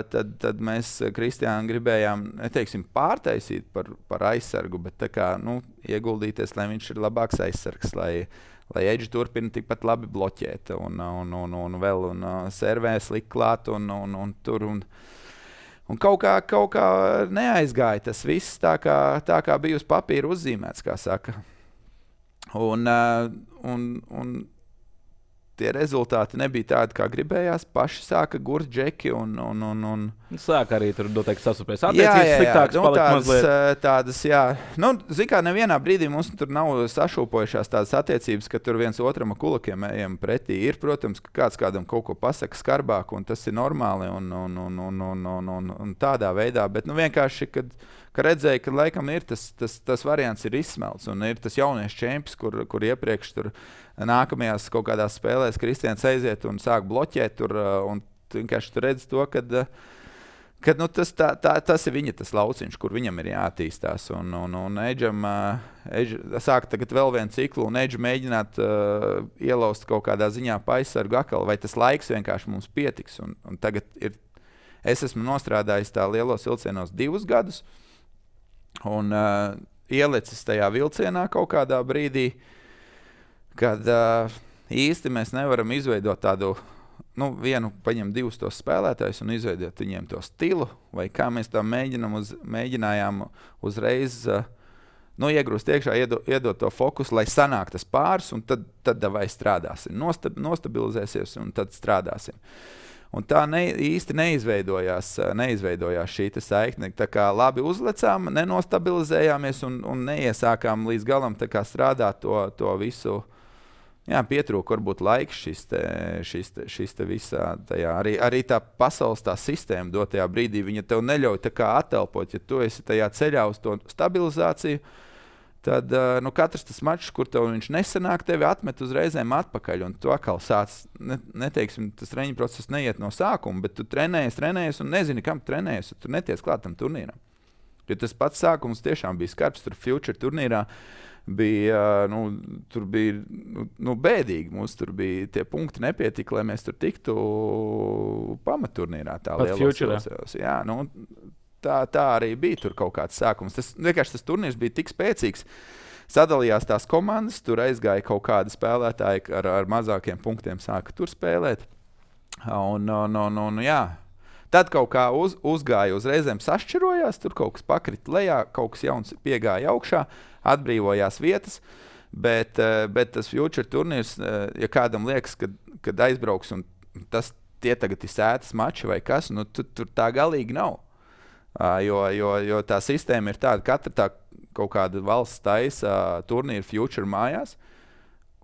tad, tad mēs Kristiānu gribējām, neteiksim, pārtaisīt par, par aizsargu, bet tā kā, nu, ieguldīties, lai viņš ir labāks aizsargs, lai, lai Edži turpina tikpat labi bloķēt un, un, un, un vēl un servēs likt klāt un, un, un tur. Un, un kaut kā, kaut kā neaizgāja tas viss tā kā, tā kā bija uz papīra uzzīmēts, kā saka. Un, uh, un, un tie rezultāti nebija tādi, kā gribējās. Paši sāka gurt džeki un... un, un, un... Sāka arī tur noteikti sasupēs. Jā, jā, jā. Sliktāks Nu, palika tādas, mazliet. tādas, jā. Nu, zin kā, nevienā brīdī mums tur nav sašūpojušās tādas attiecības, ka tur viens otram ar kulakiem ejam pretī. Ir, protams, ka kāds kādam kaut ko pasaka skarbāk, un tas ir normāli un, un, un, un, un, un, un, un tādā veidā. Bet nu, vienkārši, kad, kad redzēju, ka laikam ir tas, tas, tas variants ir izsmelts, un ir tas jauniešu čemps, kur, kur iepriekš tur nākamajās kaut kādās spēlēs Kristians aiziet un sāk bloķēt tur, un vienkārši tu redzi to, kad, kad nu, tas, tā, tā, tas ir viņa tas lauciņš, kur viņam ir jāattīstās. Un, un, un Edžam Edž, sāk tagad vēl vienu ciklu, un Edžu mēģināt uh, ielaust kaut kādā ziņā pa aizsargu akal, vai tas laiks vienkārši mums pietiks. Un, un tagad ir, es esmu nostrādājis tā lielos vilcienos divus gadus, un uh, ielicis tajā vilcienā kaut kādā brīdī, kad uh, īsti mēs nevaram izveidot tādu, nu, vienu, paņem divus tos spēlētājus un izveidot viņiem to stilu, vai kā mēs tā mēģinam uz, mēģinājām uzreiz, uh, nu, iegrūst iekšā, iedot, iedot to fokusu, lai sanāk tas pāris, un tad, tad vai strādāsim, Nostab, nostabilizēsies, un tad strādāsim. Un tā ne, īsti neizveidojās, neizveidojās šī saikne. Tā kā labi uzlecām, nenostabilizējāmies un, un neiesākām līdz galam tā kā strādāt to, to visu. Jā, pietrūka varbūt laiks šis te, šis te, šis te visā. Tajā. Arī, arī tā pasaules tā sistēma dotajā brīdī, viņa tev neļauj tā kā atelpot. Ja tu esi tajā ceļā uz to stabilizāciju, tad nu, katrs tas mačs, kur tev viņš nesanāk, tevi atmet uzreizēm atpakaļ. Un tu atkal sāc, ne, neteiksim, tas treniņu process neiet no sākuma, bet tu trenējies, trenējies un nezini, kam trenējies, un tu neties klāt tam turnīram. Jo tas pats sākums tiešām bija skarbs, tur Future turnīrā bija, nu, tur bija nu, nu, bēdīgi. Mums tur bija tie punkti nepietika, lai mēs tur tiktu pamatturnīrā. Tā lielos, jā, nu, tā, tā arī bija tur kaut kāds sākums. Tas, vienkārši tas turnīrs bija tik spēcīgs. Sadalījās tās komandas, tur aizgāja kaut kādi spēlētāji ar, ar mazākiem punktiem sāka tur spēlēt. Un, un, un, un jā. Tad kaut kā uz, uzgāja uzreizēm sašķirojās, tur kaut kas pakrita lejā, kaut kas jauns piegāja augšā, atbrīvojās vietas, bet, bet tas Future turnīrs, ja kādam liekas, kad, kad aizbrauks un tas tie tagad ir sētas mači vai kas, nu tu, tur tā galīgi nav. Jo, jo, jo tā sistēma ir tāda, katra tā kaut kāda valsts taisa turnīra Future mājās,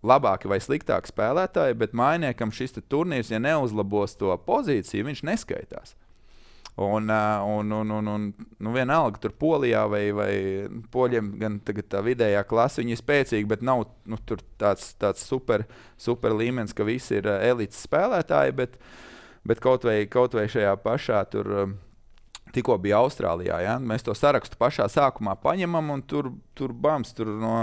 labāki vai sliktāki spēlētāji, bet mājniekam šis turnīrs, ja neuzlabos to pozīciju, viņš neskaitās. Un, un, un, un, un nu vienalga tur Polijā vai, vai poļiem gan tagad tā vidējā klasa, viņi ir spēcīgi, bet nav nu, tur tāds, tāds super, super līmenis, ka visi ir elites spēlētāji, bet, bet kaut, vai, kaut vai šajā pašā tur tikko bija Austrālijā, ja? Mēs to sarakstu pašā sākumā paņemam un tur, tur bams, tur no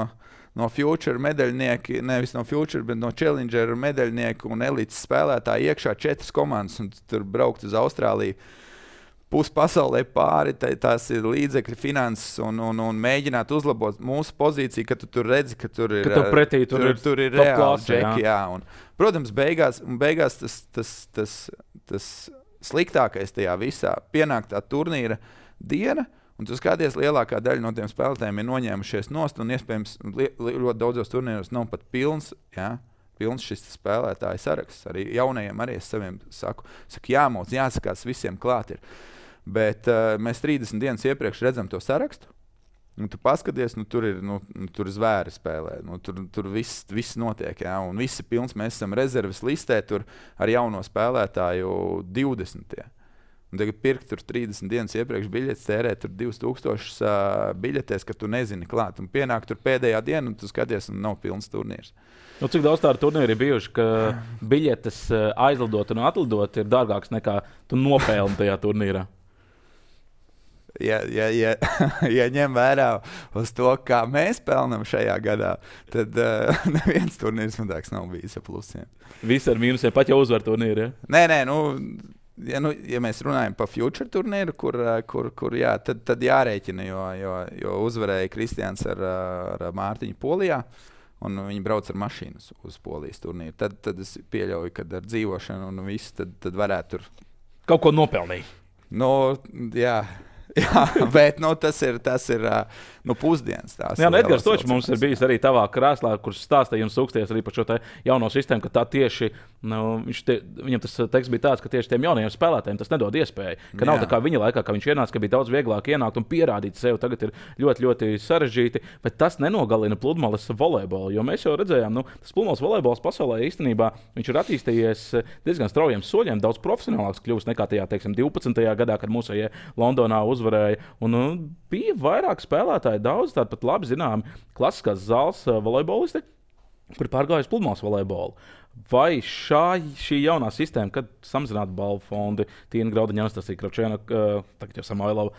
no Future medaļnieki, nevis no Future, bet no Challenger medaļnieku un elites spēlētāji iekšā četras komandas un tur braukt uz Austrāliju. Pus pasaulē pāri, tā, tās ir līdzekļi, finanses un, un, un mēģināt uzlabot mūsu pozīciju, ka tu tur redzi, ka tur ir, ka tu pretī, tur tur, ir, tur ir reāli klase, džeki. Jā. Jā, un, protams, beigās, beigās tas, tas, tas, tas sliktākais tajā visā pienāk tā turnīra diena, un tu skaties, lielākā daļa no tiem spēlētājiem ir noņēmušies nost, un iespējams li, li, ļoti daudzos turnīros nav pat pilns, jā, pilns šis spēlētāju saraksts. Arī jaunajiem arī es saviem saku, saku jāmauc, jāsakās, visiem klāt ir. Bet uh, mēs trīsdesmit dienas iepriekš redzam to sarakstu, un tu paskaties, nu tur ir, nu, tur zvēri spēlē, nu, tur, tur viss, viss notiek, jā, un viss ir pilns, mēs esam rezerves listē tur ar jauno spēlētāju divdesmitie. Un tagad pirkt tur trīsdesmit dienas iepriekš biļetes, tērēt tur divus tūkstošus uh, biļetēs, ka tu nezini klāt. Un pienāk tur pēdējā diena, un tu skaties, un nav pilns turnīrs. Nu, cik daudz tādu turnīru ir bijuši, ka biļetes uh, aizlidot un atlidot ir dārgāks nekā tu nopelni tajā turnīrā? Ja, ja, ja, ja ņem vērā uz to, kā mēs pelnam šajā gadā, tad uh, neviens turnīrs mazāks nav bijis ar plusiem. Visi ar mīnusiem, pat jau uzvar turnīru, ja? Nē, nē, nu... Ja, nu, ja mēs runājam par Future turnīru, kur, kur, kur jā, tad, tad jārēķina, jo, jo, jo uzvarēja Kristians ar, ar Mārtiņu Polijā, un viņi brauc ar mašīnu uz Polijas turnīru. Tad, tad es pieļauju, ka ar dzīvošanu un visu, tad, tad varētu tur... Kaut ko nopelnīt. Nu, jā, Jā, bet nu, tas ir, tas ir nu, pusdienas. Jā, Edgars Točs mums ir bijis arī tavā krēslā, kurš stāstīja un sūksties arī par šo jauno sistēmu, ka tā tieši, nu, tie, viņam tas teksts bija tāds, ka tieši tiem jaunajiem spēlētājiem tas nedod iespēju. Ka nav Jā. tā kā viņa laikā, kad viņš ienāca, ka bija daudz vieglāk ienākt un pierādīt sev. Tagad ir ļoti, ļoti sarežģīti, bet tas nenogalina pludmales volejbolu, jo mēs jau redzējām, nu, tas pludmales volejbols pasaulē īstenībā viņš ir attīstījies diezgan straujiem soļiem, daudz profesionālāks kļūst nekā tajā, teiksim, divpadsmitajā gadā, kad mūsējie Londonā uzvarēja. Un, nu, bija vairāk spēlētāji, daudz tādi pat labi zināmi klasiskās zāles volejbolisti, kuri pārgājuši pludmales volejbolu. Vai šā, šī jaunā sistēma, kad samazinātu balvu fondi, Tīna Graudiņa, Anastasija Kravčēna, tagad jau Samoilova,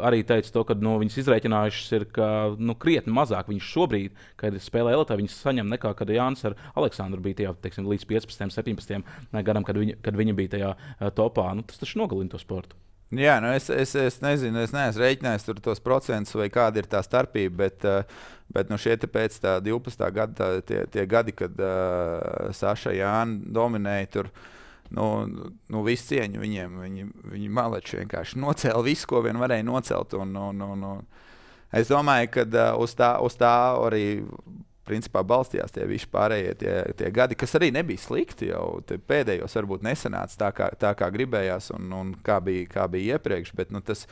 arī teica to, ka nu, viņas izreikinājušas ir, ka nu, krietni mazāk viņas šobrīd, kad spēlē elitē, viņas saņem nekā, kad Jānis ar Aleksandru bija tajā, teiksim, līdz piecpadsmitajam, septiņpadsmitajam gadam, kad viņa, kad viņa bija tajā topā. Nu, tas taču nogalina to sportu. Jā, nu es, es, es nezinu, es neesmu rēķinājis tur tos procentus vai kāda ir tā starpība, bet, bet nu šie te pēc tā divpadsmitā gada, tā, tie, tie gadi, kad uh, Saša Jāna dominēja tur, nu, nu visu cieņu viņiem, viņi, viņi maleči vienkārši nocēla visu, ko vien varēja nocelt, un, un, un, un es domāju, ka uh, uz, tā, uz tā arī principā balstījās tie visi pārējie tie, tie gadi, kas arī nebija slikti. Jau pēdējos varbūt nesanāca tā, kā, tā kā gribējās un, un kā, bija, kā bija iepriekš, bet nu, tas,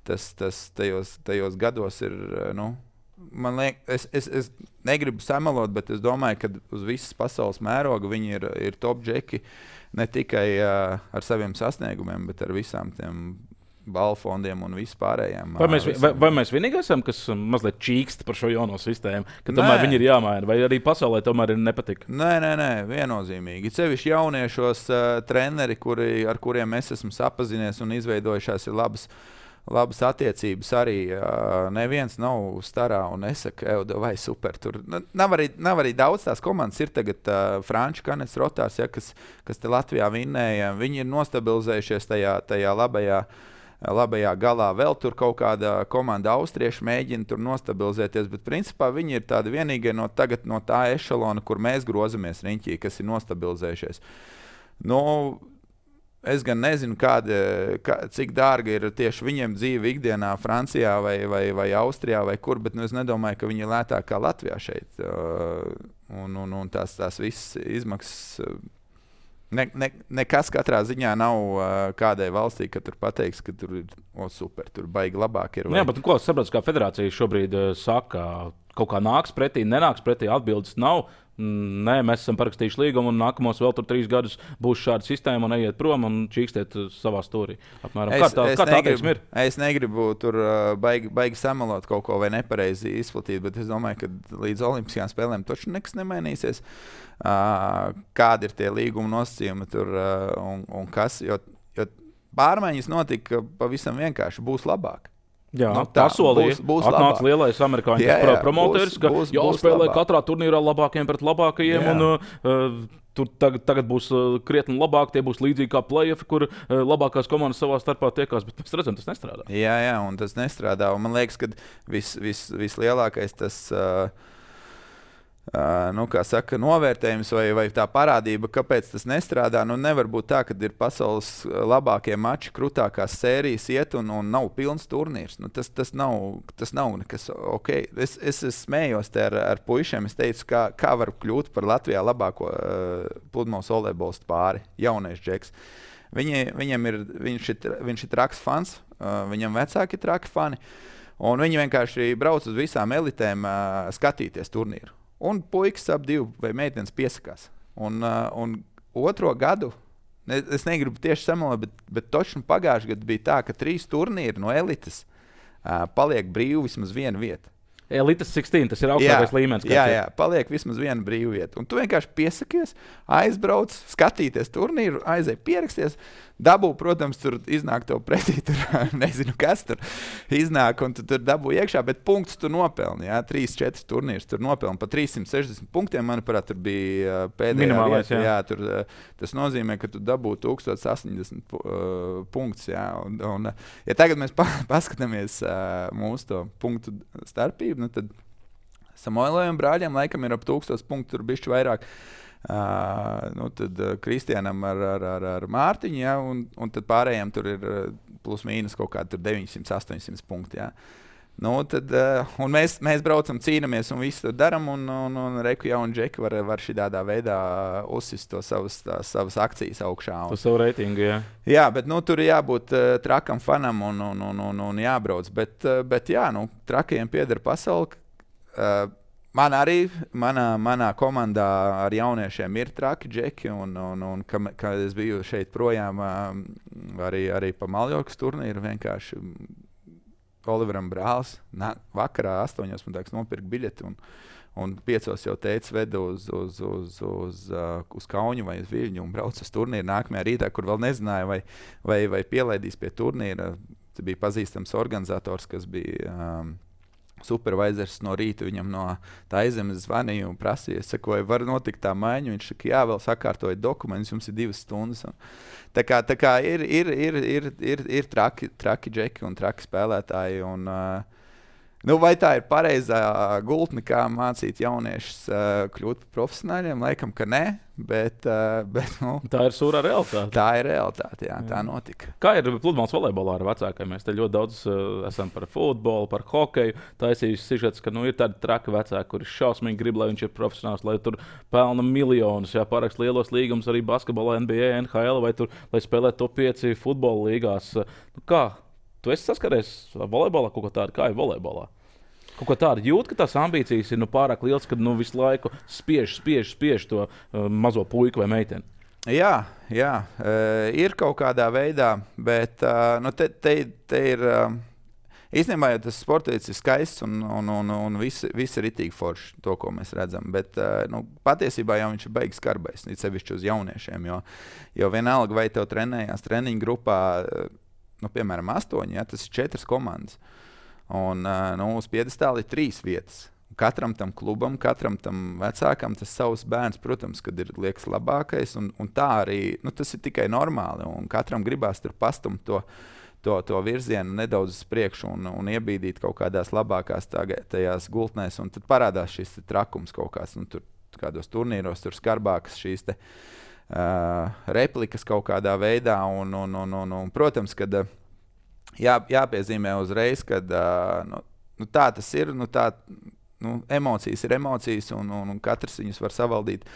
tas, tas tajos, tajos gados ir. Nu, man liek, es, es, es negribu samalot, bet es domāju, ka uz visas pasaules mēroga viņi ir, ir top džeki ne tikai uh, ar saviem sasniegumiem, bet ar visām tiem balfondiem un vispārējiem. Vai mēs, vai, vai mēs vienīgi esam, kas mazliet čīkst par šo jauno sistēmu, ka tomēr nē. Viņi ir jāmaina, vai arī pasaulē tomēr ir nepatika? Nē, nē, nē, viennozīmīgi. Cevišķi jauniešos uh, treneri, kuri, ar kuriem es esmu sapazinies un izveidojušās ir labas, labas attiecības arī. Uh, neviens nav starā un nesaka, ev, vai super. Tur nav arī, nav arī daudz tās komandas. Ir tagad uh, Franču Kanets Rotārs, ja, kas, kas te Latvijā vinnēja. Viņi ir nostabilizējušies tajā, tajā labajā labajā galā. Vēl tur kaut kāda komanda austrieši mēģina tur nostabilizēties, bet principā viņi ir tādi vienīgie no, tagad, no tā ešalona, kur mēs grozamies riņķī, kas ir nostabilizējušies. Nu, es gan nezinu, kāda, kā, cik dārga ir tieši viņiem dzīve ikdienā Francijā vai, vai, vai Austrijā vai kur, bet nu, es nedomāju, ka viņi ir lētāk kā Latvijā šeit. Un, un, un tās, tās visas izmaksas Ne, ne, nekas katrā ziņā nav uh, kādai valstī, ka tur pateiks, ka tur ir o, super, tur baigi labāk ir. Vai... Jā, bet ko sapratu, kā federācija šobrīd uh, saka, kaut kā nāks pretī, nenāks pretī, atbildes nav. Nē, mēs esam parakstījuši līgumu un nākamos vēl tur trīs gadus būs šāda sistēma un ejiet prom un čīkstiet savā stūrī. Apmēram. Es, kā tā, es, kā tā negribu, ir? Es negribu tur uh, baigi, baigi samalot kaut ko vai nepareizi izplatīt, bet es domāju, ka līdz olimpiskajām spēlēm taču nekas nemainīsies. Uh, kādi ir tie līguma nosacījumi tur uh, un, un kas, jo, jo pārmaiņas notika pavisam vienkārši, būs labāk. Jā, nu, tā solīja. Būs, būs atnāca labāk. Lielais amerikāņu jā, jā, promoteris, ka būs, jāspēlē būs katrā turnīrā labākiem pret labākajiem. Jā. Un, uh, tur tagad, tagad būs uh, krietni labāk, tie būs līdzīgi kā play-offi, kur uh, labākās komandas savā starpā tiekās, bet mēs redzam, tas nestrādā. Jā, jā, un tas nestrādā. Un man liekas, ka vis, vis, vislielākais tas... Uh, Uh, nu, kā saka, novērtējums vai, vai tā parādība, kāpēc tas nestrādā. Nu, nevar būt tā, ka ir pasaules labākie mači, krūtākās sērijas iet un, un nav pilns turnīrs. Nu, tas, tas, nav, tas nav nekas ok. Es, es, es smējos te ar, ar puišiem. Es teicu, kā, kā var kļūt par Latvijā labāko uh, pludmales volejbolistu pāri, jaunais džeks. Viņi, viņam ir, viņš, ir, viņš ir traks fans, uh, viņam vecāki ir traki fani. Un viņi vienkārši brauc uz visām elitēm uh, skatīties turnīru. Un puikas ap divu vai meitenes piesakās. Un, uh, un otro gadu, ne, es negribu tieši samalot, bet, bet točni pagājuši gadu bija tā, ka trīs turnīri no elites uh, paliek brīvi vismaz viena vieta. Elites sešpadsmit, tas ir augstākais jā, līmenis. Jā, jā, paliek vismaz viena brīva vieta. Un tu vienkārši piesakies, aizbrauc, skatīties turnīru, aizēj pieraksties. Dabū, protams, tur iznāk tev pretī, tur nezinu, kas tur iznāk, un tu tur dabū iekšā, bet punktus tu nopelni, jā, trīs, četras turnīrus tur nopelni. Pa trīs simt sešdesmit punktiem, manuprāt, tur bija pēdējā minimālais, vieta. Jā. Jā, tur, tas nozīmē, ka tu dabū tūkstoš astoņdesmit uh, punktus, jā. Un, un, ja tagad mēs pa, paskatāmies uh, mūsu to punktu starpību, nu tad Samoilai un brāļiem laikam ir ap tūkstoš punktu, tur bišķi vairāk. Uh, nu, tad uh, Kristianam ar, ar, ar, ar Mārtiņu, ja, un, un tad pārējiem tur ir uh, plus mīnus kaut kādi deviņsimt, astoņsimt punkti. Ja. Nu, tad, uh, un mēs, mēs braucam, cīnāmies un visu to darām, un, un, un Reku jau un Džeki var, var šitādā veidā uzsist to savas, tās, savas akcijas augšā. Un, uz savu reitingu, jā. Jā, bet nu, tur ir jābūt uh, trakam fanam un, un, un, un, un jābrauc. Bet, uh, bet jā, nu, trakajiem pieder pasauli. Uh, Man arī, manā, manā komandā ar jauniešiem ir traki džeki, un, un, un ka, kad es biju šeit projām, arī, arī pa Maljorkas turnīru, vienkārši Oliveram brālis nā, vakarā astoņos man tāks nopirka biļeti, un, un piecos jau teica vedu uz, uz, uz, uz, uz Kauņu vai uz Viļņu un brauc uz turnīru nākamajā rītā, kur vēl nezināja, vai, vai, vai pielaidīs pie turnīra. Te bija pazīstams organizators, kas bija... Um, supervisors no rīta viņam no tā aizemes zvanīja un prasīja, es saku, vai var notikt tā maiņa, viņš saka, jā, vēl sakārtoja dokumentus, jums ir divas stundas. Un tā kā, tā kā ir, ir, ir, ir, ir, ir traki, traki džeki un traki spēlētāji, un uh, nu, vai tā ir pareizā gultne, kā mācīt jauniešus uh, kļūt par profesionāļiem? Laikam, ka nē, bet, uh, bet nu, tā ir sūrā realitāte. Tā ir realitāte, jā, jā. Tā notika. Kā ir pludmales volejbolā ar vecākiem? Mēs te ļoti daudz uh, esam par futbolu, par hokeju. Taisījuši sižets, ka nu, ir tādi traki vecāki, kuri šausmīgi grib, lai viņš ir profesionāls, lai tur pelna miljonus, jā, parakst lielos līgumus arī basketbolā, N B A, N H L, vai tur, lai spēlē top pieci futbola līgās. Nu, kā? Tu esi saskaries volejbolā kaut ko tādu, kā ir volejbolā? Kaut ko tādu jūt, ka tās ambīcijas ir nu, pārāk liels, kad nu, visu laiku spiež, spiež, spiež to uh, mazo puiku vai meiteni. Jā, jā uh, ir kaut kādā veidā, bet uh, nu, te, te, te ir uh, īstenībā ja tas sports ir skaists un, un, un, un viss vis ir itīgi forši, to, ko mēs redzam. Bet uh, nu, patiesībā jau viņš ir beigas skarbais, it sevišķi uz jauniešiem, jo, jo vienalga vai tev trenējās treniņu grupā, uh, nu, piemēram, astoņi, ja, tas ir četras komandas. Un uh, nu, uz piedestāla ir trīs vietas. Katram tam klubam, katram tam vecākam tas savs bērns, protams, kad ir liekas labākais. Un, un tā arī, nu, tas ir tikai normāli. Un katram gribās tur pastumt to, to, to virzienu nedaudz uz priekšu un, un iebīdīt kaut kādās labākās tagad, tajās gultnēs. Un tad parādās šis trakums kaut kāds, nu, tur kādos turnīros, tur skarbākas šīs te, uh, replikas kaut kādā veidā. Un, un, un, un, un, protams, kad uh, jā, jāpiezīmē uzreiz, ka uh, nu, nu, tā tas ir. Nu, tā, nu, emocijas ir emocijas, un, un, un katrs viņus var savaldīt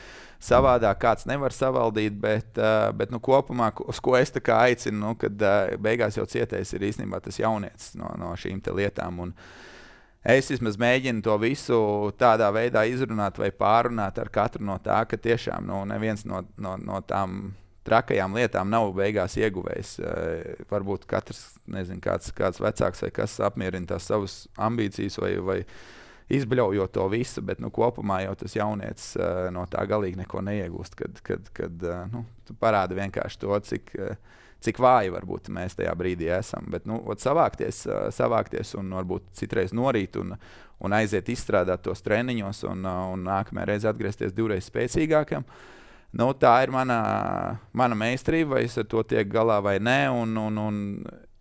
savādāk, kāds nevar savaldīt. Bet, uh, bet nu, kopumā, uz ko es aicinu, nu, kad uh, beigās jau cietējis ir īstenībā tas jaunietis no, no šīm lietām. Un es vismaz mēģinu to visu tādā veidā izrunāt vai pārunāt ar katru no tā, ka tiešām nu, neviens no, no, no tām trakajām lietām nav beigās ieguvējis. Uh, varbūt katrs, nezinu, kāds, kāds vecāks vai kas apmierina tās savas ambīcijas vai, vai izbļaujot to visu, bet nu, kopumā jau tas jaunietis uh, no tā galīgi neko neiegūst, kad, kad, kad uh, nu, tu parādi vienkārši to, cik, uh, cik vāji varbūt mēs tajā brīdī esam. Bet nu, savākties, uh, savākties un varbūt citreiz norīt un, un aiziet izstrādāt tos treniņos un, uh, un nākamajā reizē atgriezties divreiz spēcīgākam. Nu, tā ir mana, mana meistarība, vai es ar to tiek galā vai nē, un, un, un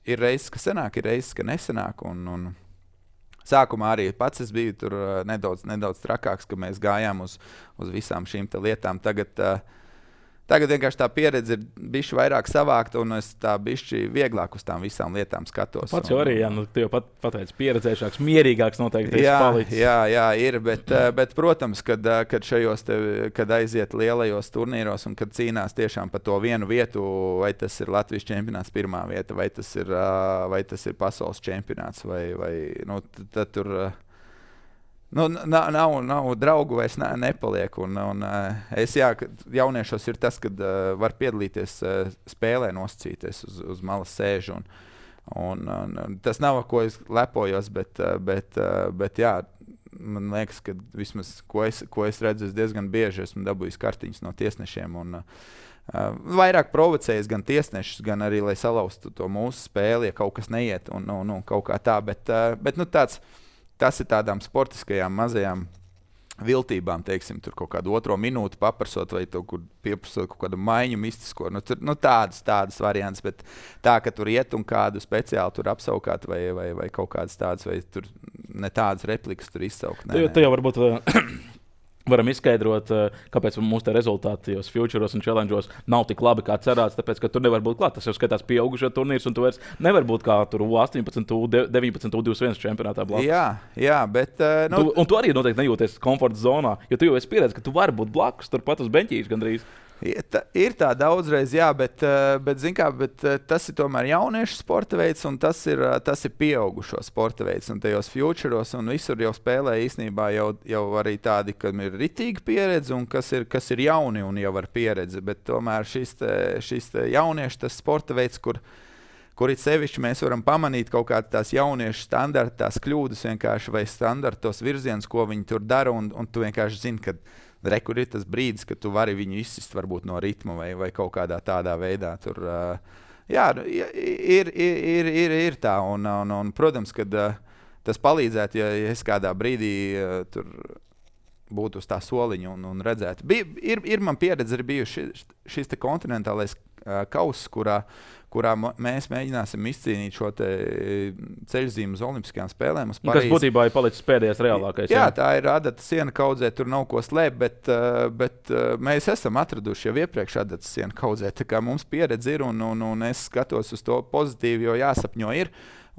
ir reizes, ka sanāk, ir reizes, ka nesanāk, un, un sākumā arī pats es biju tur nedaudz, nedaudz trakāks, ka mēs gājām uz, uz visām šīm lietām. Tagad, tagad vienkārši tā pieredze ir bišķi vairāk savākta, un es tā bišķi vieglāk uz tām visām lietām skatos. Pats jau arī, jā, nu, tu jau pat pateici, pieredzējušāks, mierīgāks noteikti. Jā, jā, jā, ir, bet, bet protams, kad, kad šajos te, kad aiziet lielajos turnīros un kad cīnās tiešām par to vienu vietu, vai tas ir Latvijas čempionāts pirmā vieta, vai tas ir, vai tas ir pasaules čempionāts, vai, vai nu, tad, tad tur nu, nav, nav, nav draugu vairs ne, nepaliek. Un, un, es jā, jauniešos ir tas, kad uh, var piedalīties uh, spēlē, nosacīties uz, uz malas sēžu. Un, un, un, tas nav, ko es lepojos, bet, uh, bet, uh, bet jā, man liekas, ka vismaz, ko es, ko es redzu, es diezgan bieži esmu dabūjis kartiņas no tiesnešiem. Un, uh, vairāk provocējis gan tiesnešus, gan arī, lai salauztu to mūsu spēli, ja kaut kas neiet un, un, un kaut kā tā. Bet, uh, bet nu, tāds Tas ir tādām sportiskajām mazajām viltībām, teiksim, tur kaut kādu otro minūti paprasot vai to, kur pieprasot kaut kādu maiņu mistisko. Nu, tur, nu tādas, tādas variants, bet tā, ka tur iet un kādu speciāli tur apsaukāt vai, vai, vai kaut kādas tādas, vai tur ne tādas replikas tur izsaukt. Nē, te, te jau varbūt varam izskaidrot, kāpēc mūsu rezultāti tajos futuros un challengeos nav tik labi, kā cerēts, tāpēc, ka tur nevar būt klāt. Tas jau skatās pieaugušo turnīrs, un tu vairs nevar būt kā tur U astoņpadsmit, U deviņpadsmit, U divdesmit viens čempionātā blakus. Jā, jā, bet... Uh, nu... tu, un tu arī noteikti nejūties komforta zonā, jo tu jau esi pieredzējis, ka tu vari būt blakus, turpat uz beņķīša gandrīz. Ir tā, ir tā daudzreiz, jā, bet, bet, zin kā, bet tas ir tomēr jauniešu sporta veids, un tas ir, tas ir pieaugušo sporta veids. Un tajos futuros un visur jau spēlē īstenībā jau, jau arī tādi, kam ir ritīga pieredze, un kas ir, kas ir jauni un jau ar pieredzi. Bet tomēr šis, te, šis te jauniešu tas sporta veids, kur, kur it sevišķi mēs varam pamanīt kaut kādas tās jauniešu standarta, tās kļūdas vienkārši vai standartos virziens, ko viņi tur dara, un, un tu vienkārši zini, ka Re, kur ir tas brīdis, kad tu vari viņu izsist varbūt no ritma vai, vai kaut kādā tādā veidā. Tur, uh, jā, ir, ir, ir, ir, ir tā. Un, un, un, protams, ka uh, tas palīdzētu, ja, ja es kādā brīdī uh, tur būtu uz tā soliņa un, un redzētu. Bij, ir, ir man pieredze arī bijuši šis, šis te kontinentālais uh, kauss, kurā, kurā mēs mēģināsim izcīnīt šo ceļzīmu uz Olimpiskajām spēlēm. Uz kas būtībā ir palicis pēdējais reālākais. Jā, jā, tā ir adata siena kaudzē, tur nav ko slēpt, bet, bet mēs esam atraduši jau iepriekš adata siena kaudzē. Tā kā mums pieredze ir un, un, un es skatos uz to pozitīvi, jo jāsapņo ir.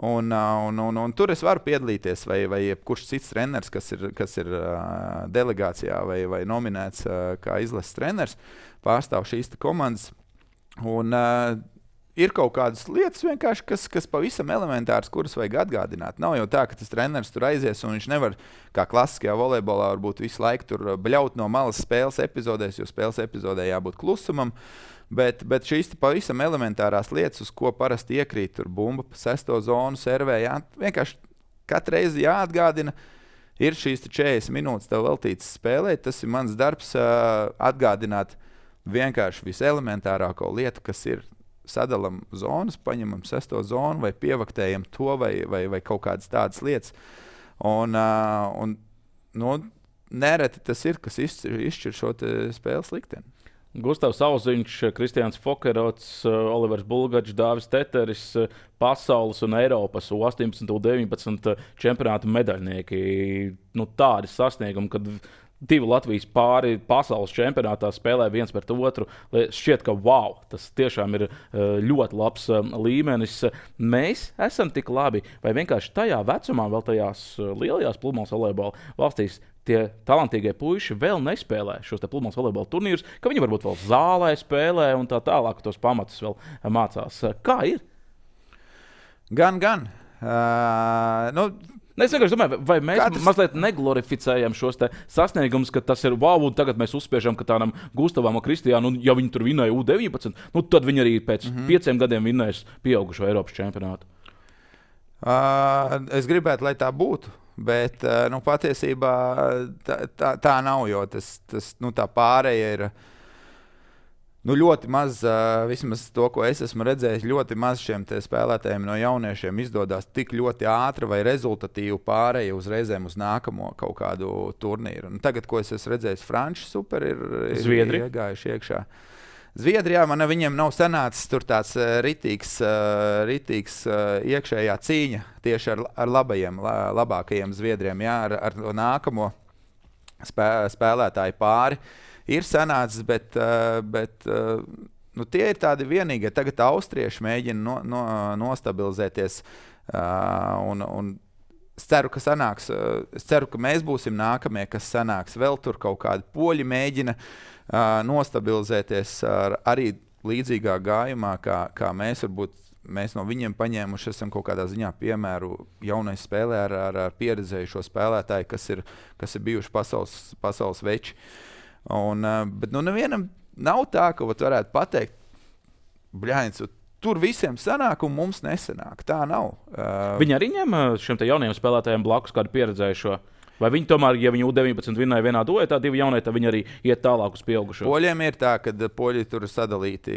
Un, un, un, un tur es varu piedalīties, vai, vai kurš cits treneris, kas ir, kas ir uh, delegācijā vai, vai nominēts uh, kā izlases treneris, pārstāv šīs komandas. Un, uh, ir kaut kādas lietas, kas, kas pavisam elementāras, kuras vajag atgādināt. Nav jau tā, ka tas treneris tur aizies un viņš nevar, kā klasiskajā volejbolā, varbūt visu laiku tur bļaut no malas spēles epizodēs, jo spēles epizodē jābūt klusumam. Bet, bet šīs pavisam elementārās lietas, uz ko parasti iekrīt, tur bumba pa sesto zonu, servē, jā, vienkārši katru reizi jāatgādina, ir šīs četrdesmit minūtes tev veltītas spēlēt. Tas ir mans darbs uh, atgādināt vienkārši viselementārāko lietu, kas ir sadalam zonas, paņemam sesto zonu vai pievaktējam to vai, vai, vai kaut kādas tādas lietas. Un, uh, un nu, nereti tas ir, kas izšķir, izšķir šo spēles likteni. Gustavs Auziņš, Kristiāns Fokerots, Olivers Bulgačs, Dāvis Teteris, pasaules un Eiropas U astoņpadsmit, U deviņpadsmit čempionātu medaļnieki. Nu, tādi sasniegumi, kad divi Latvijas pāri pasaules čempionātā spēlē viens pret otru. Šķiet, ka wow, tas tiešām ir ļoti labs līmenis. Mēs esam tik labi, vai vienkārši tajā vecumā, vēl tajās lielajās pludmales volejbola valstīs, tie talantīgie puiši vēl nespēlē šos pludmales volejbola turnīrus, ka viņi varbūt vēl zālē spēlē un tā tālāk tos pamatus vēl mācās. Kā ir? Gan, gan. Uh, nu, Es vienkārši domāju, vai mēs Katrs... mazliet neglorificējam šos sasniegumus, ka tas ir wow, un tagad mēs uzspiežam, ka tādam Gustavam un Kristiānu, un ja viņi tur vinēja U deviņpadsmit, nu tad viņi arī pēc mm-hmm. pieciem gadiem vinēs pieaugušo Eiropas čempionātu. Uh, es gribētu, lai tā būtu, bet uh, nu, patiesībā tā, tā, tā nav, jo tas, tas, nu, tā pārēja ir nu, ļoti maz, uh, vismaz to, ko es esmu redzējis, ļoti maz šiem spēlētājiem no jauniešiem izdodas tik ļoti ātri vai rezultatīvi pārēja uzreizēm uz nākamo kaut kādu turnīru. Un tagad, ko es esmu redzējis, Franči super ir, ir iegājuši iekšā. Zviedrijā man viņiem nav sanācis tur tāds uh, ritīgs, uh, ritīgs uh, iekšējā cīņa tieši ar, ar labajiem, la, labākajiem Zviedriem, jā, ar, ar nākamo spē, spēlētāju pāri. Ir sanācis, bet, uh, bet uh, nu, tie ir tādi vienīgie. Tagad austrieši mēģina no, no, nostabilizēties uh, un, un es ceru, ka sanāks, uh, es ceru, ka mēs būsim nākamie, kas sanāks. Vēl tur kaut kādi poļi mēģina uh, nostabilizēties ar, arī līdzīgā gājumā, kā, kā mēs varbūt mēs no viņiem paņēmuši esam kaut kādā ziņā piemēru jaunai spēlē ar, ar, ar pieredzējušo spēlētāju, kas ir, kas ir bijuši pasaules, pasaules veči. Un, bet nu nevienam nav tā, ka varētu pateikt, bļāņas, tur visiem sanāk un mums nesanāk. Tā nav. Viņi arī ņem šiem te jaunajiem spēlētājiem blakus kādu pieredzējušo? Vai viņi tomēr, ja viņi U deviņpadsmit vinnēja vienā duetā, divi jaunie, tad viņi arī iet tālāk uz pieaugušo? Poļiem ir tā, ka poļi tur sadalīti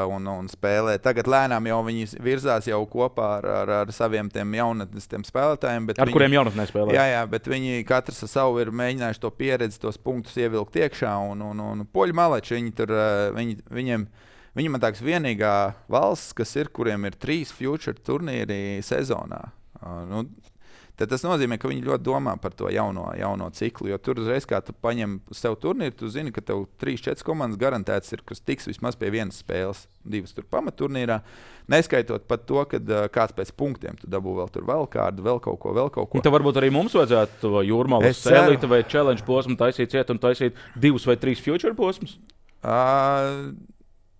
un, un spēlē. Tagad lēnām jau viņi virzās jau kopā ar, ar, ar saviem tiem jaunatnes tiem spēlētājiem. Ar viņi, kuriem jaunatnē spēlē? Jā, jā, bet viņi katrs ar savu ir mēģinājuši to pieredzi, tos punktus ievilkt iekšā. Un, un, un poļi maleči, viņi tur, viņi, viņiem, viņi man tāks vienīgā valsts, kas ir, kuriem ir trīs future turnīri sezonā. Nu, tad tas nozīmē, ka viņi ļoti domā par to jauno, jauno ciklu. Jo tur uzreiz, kā tu paņem sev turnīru, tu zini, ka tev trīs četras komandas garantētas ir, kas tiks vismaz pie vienas spēles, divas tur pamatturnīrā. Neskaitot pat to, ka uh, kāds pēc punktiem tu dabū vēl tur vēl kādu, vēl kaut ko, vēl kaut ko. Un tad varbūt arī mums vajadzētu to jūrmālas sēlīti vai challenge posmu taisīt ciet un taisīt divus vai trīs future posmus? Uh,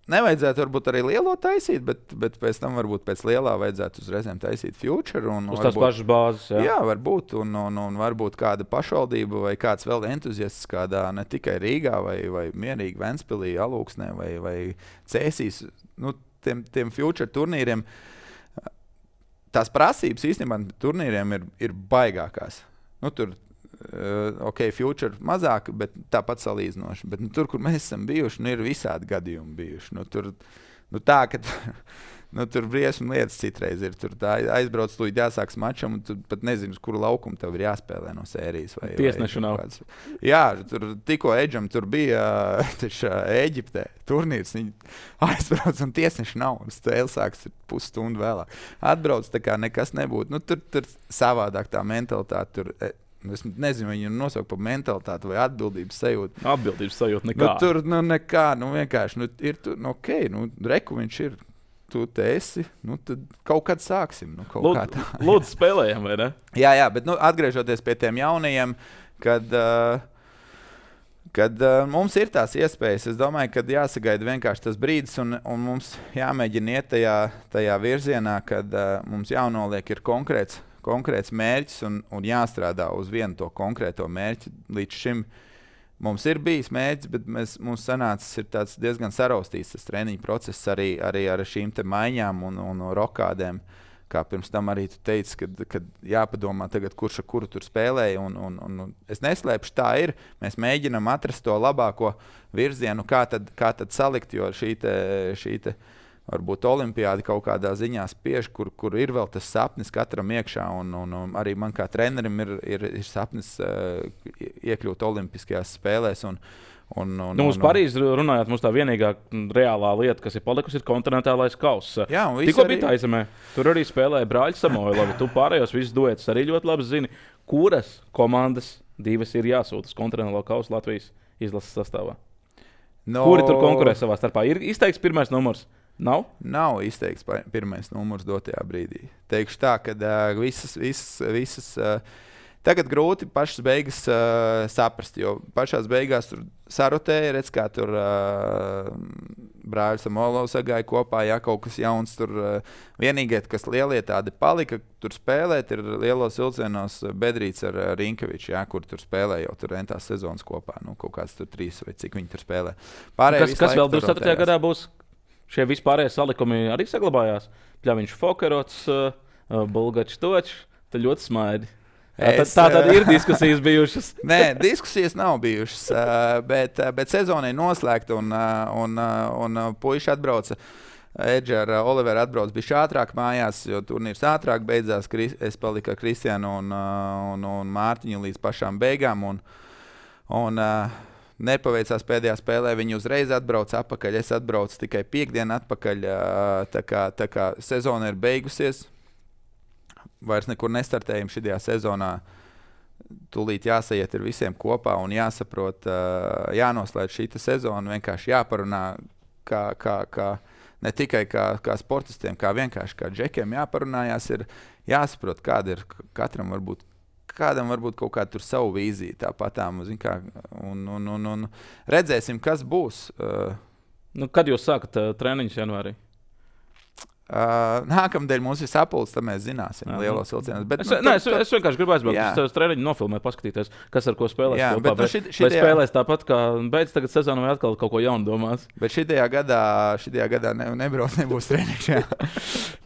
Nevajadzētu varbūt arī lielo taisīt, bet, bet pēc tam varbūt pēc lielā vajadzētu uzreizēm taisīt future. Un uz tās varbūt, pašas bāzes, jā. Jā, varbūt. Un, un, un varbūt kāda pašvaldība vai kāds vēl entuziasts kādā ne tikai Rīgā vai, vai mierīgi Ventspilī, Alūksnē vai, vai Cēsīs. Nu, tiem, tiem future turnīriem, tās prasības īstenībā turnīriem ir, ir baigākās. Nu, tur Uh, ok, future mazāk, bet tāpat salīdzinoši. Bet nu, tur, kur mēs esam bijuši, nu, ir visādi gadījumi bijuši. Nu, tur, nu, tā, ka nu, tur briesmu lietas citreiz ir. Tur aizbrauc, tu jāsāks mačam, un tu pat nezini, uz kuru laukumu tev ir jāspēlē no sērijas. Vai, tiesnešu nav. Kāds. Jā, tur tikko Edžam tur bija taču, Eģiptē turnīrs. Viņi aizbrauc un tiesneši nav. Un spēle sāks pusstundu vēlāk. Atbrauc tā kā nekas nebūtu. Nu, tur, tur savādāk tā mentalitāte tur. Es nezinu, viņu nosaukt par mentalitāti vai atbildības sajūtu. Atbildības sajūta nekā. Nu, tur nu, nekā, nu vienkārši, nu, ir tu, nu, ok, nu, reku viņš ir, tu te esi, nu, tad kaut kad sāksim. Nu, kaut Lūd, kā tā. Lūdzu spēlējam, vai ne? Jā, jā, bet nu, atgriežoties pie tiem jaunajiem, kad, uh, kad uh, mums ir tās iespējas, es domāju, kad jāsagaida vienkārši tas brīdis un, un mums jāmēģina iet tajā, tajā virzienā, kad uh, mums jānoliek ir konkrēts konkrēts mērķis un, un jāstrādā uz vienu to konkrēto mērķi. Līdz šim mums ir bijis mērķis, bet mēs, mums sanācis ir tāds diezgan saraustīts tas treniņu process arī, arī ar šīm te maiņām un, un rokādēm. Kā pirms tam arī tu teici, kad, kad jāpadomā tagad, kurš ar kuru tur spēlēja. Un, un, un, es neslēpšu, tā ir. Mēs mēģinam atrast to labāko virzienu, kā tad, kā tad salikt, jo šī te, šī te varbūt olimpiādi kaut kādā ziņā spiež, kur, kur ir vēl tas sapnis katram iekšā. Un, un, un arī man kā trenerim ir, ir, ir sapnis uh, iekļūt olimpiskajās spēlēs. Un, un, un, nu, uz un, Parīzi runājot, mums tā vienīgā reālā lieta, kas ir palikusi, ir kontinentālais kauss. Jā, tikko arī... bija tā aizemē. Tur arī spēlēja brāļi Samoilovi. Tu pārējos visus duetus arī ļoti labi zini, kuras komandas divas ir jāsūta uz kontinentālo kausu Latvijas izlases sastāvā. No... Kuri tur konkurē savā starpā? Ir izteikts pirmais numurs? Nav? Nav izteikts pirmais numurs dotajā brīdī. Teikšu tā, ka uh, visas, visas, visas uh, tagad grūti pašas beigas uh, saprast, jo pašās beigās tur sarotēja, redz, kā tur uh, brāļi Samoilovs sagāja kopā, ja kaut kas jauns tur. Uh, vienīgie, kas lielie tādi palika, tur spēlēt, ir lielos vilcienos Bedrīts ar uh, Rinkeviču, ja, kur tur spēlē jau tur entās sezonas kopā, nu kaut kāds tur trīs vai cik viņi tur spēlē. Pārējie kas kas vēl divdesmit ceturtajā gadā būs? Šie vispārējie salikumi arī saglabājās. Pļaviņš Fokerots, uh, Bulgačs Točs, tad ļoti smaidi. Es, tā tad ir diskusijas bijušas. Nē, diskusijas nav bijušas, uh, bet, bet sezona ir noslēgta un, uh, un, uh, un uh, puiši atbrauca. Edža ar uh, Oliveru atbrauc bišķi ātrāk mājās, jo turnīrs ātrāk beidzās. Es paliku ar Kristiānu un, uh, un, un Mārtiņu līdz pašām beigām. Un, un, uh, Nepaveicās pēdējā spēlē, viņi uzreiz atbrauca atpakaļ. Es atbraucu tikai piekdienu atpakaļ. Tā kā, tā kā sezona ir beigusies, vairs nekur nestartējam šajā sezonā. Tūlīt jāsajiet ar visiem kopā un jāsaprot, jānoslēdz šī sezona. Vienkārši jāparunā, kā, kā, kā, ne tikai kā, kā sportistiem, kā vienkārši kā džekiem jāparunājās. Ir jāsaprot, kāda ir katram varbūt. Kādam varbūt kaut kāda tur savu vīziju, tāpatām, kā, un, un, un, un redzēsim, kas būs. Uh, nu, kad jūs sākat uh, treniņus janvārī? Uh, nākamdēļ mums ir sapulcs, tad mēs zināsim jā, lielos vilcienos. Bet, es, nu, nē, tad, es, tad, es vienkārši gribu aizbraukt uz treniņu nofilmēt, paskatīties, kas ar ko spēlēs jā, kopā. Bet, vai, nu, šit, vai šitajā, spēlēs tāpat, kā beidz tagad sezonu vai atkal kaut ko jaunu domās? Bet šitajā gadā, šitajā gadā ne, nebrauc, nebūs treniņš.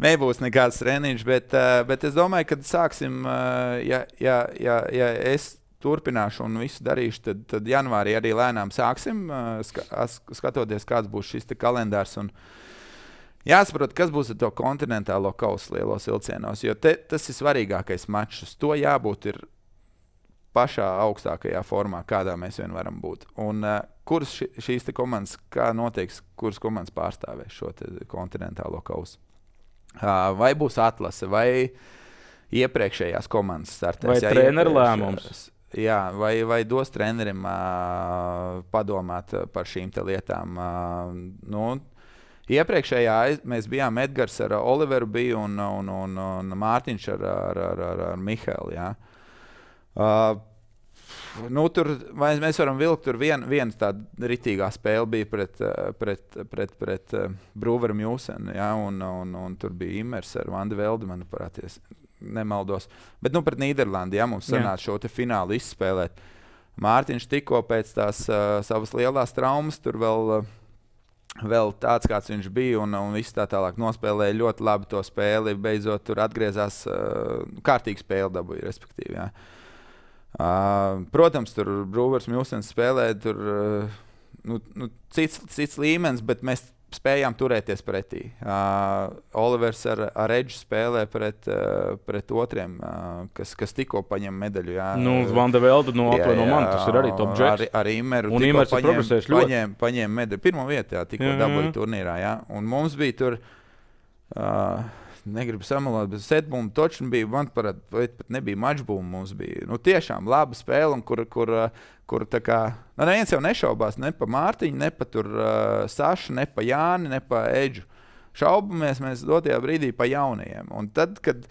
Nebūs nekāds treniņš, bet, bet es domāju, ka sāksim, ja, ja, ja, ja es turpināšu un visu darīšu, tad, tad janvārī arī lēnām sāksim, skatoties, kāds būs šis te kalendārs. Un jāsaprot, kas būs ar to kontinentālo kausu lielos vilcienos, jo te, tas ir svarīgākais mačs. Uz to jābūt ir pašā augstākajā formā, kādā mēs vien varam būt. Un uh, kuras ši, šīs te komandas, kā noteiks, kuras komandas pārstāvēs šo te kontinentālo kausu? Uh, vai būs atlase, vai iepriekšējās komandas startēs. Vai jā, treneru lēmums? Jā, vai, vai dos trenerim uh, padomāt par šīm te lietām. Uh, nu, iepriekšējā mēs bijām Edgars ar Oliveru biju un, un, un, un Mārtiņš ar, ar, ar, ar, ar Mihēlu. Jā. Uh, nu, tur mēs varam vilkt, tur viena vien tāda ritīgā spēle bija pret, pret, pret, pret uh, Brūveru Mjūsenu, jā, un, un, un tur bija Imers ar Vandi Veldi, manuprāt, nemaldos. Bet nu pret Nīderlandi, ja mums sanāca šo te finālu izspēlēt. Mārtiņš tikko pēc tās uh, savas lielās traumas, tur vēl, uh, vēl tāds, kāds viņš bija, un, un viss tā tālāk nospēlēja ļoti labi to spēli. Beidzot, tur atgriezās uh, kārtīgi spēli dabūja, respektīvi, jā. Uh, protams, tur Brūvers Mjūsens spēlēja, tur uh, nu, nu, cits, cits līmenis, bet mēs spējām turēties pretī. Uh, Olivers ar, ar Edžu spēlē pret, uh, pret otriem, uh, kas, kas tikko paņem medaļu. Jā. Nu, Vanda Velda no apli no man, tas ir arī top džeks. Ar, ar Imeru un Imers ir progresējis ļoti. Paņem, paņem medaļu. Pirmo vietu, jā, tikko mm-hmm. dabūja turnīrā. Jā. Un mums bija tur, uh, negribu samalot, bet setbūmu točni bija, man parād, pat nebija mačbūmu mums bija. Nu, tiešām laba spēle, kur, kur, kur tā kā, nu, neviens jau nešaubās ne pa Mārtiņu, ne pa tur uh, Sašu, ne pa Jāni, ne pa Edžu. Šaubamies mēs dotajā brīdī pa jaunajiem. Un tad, kad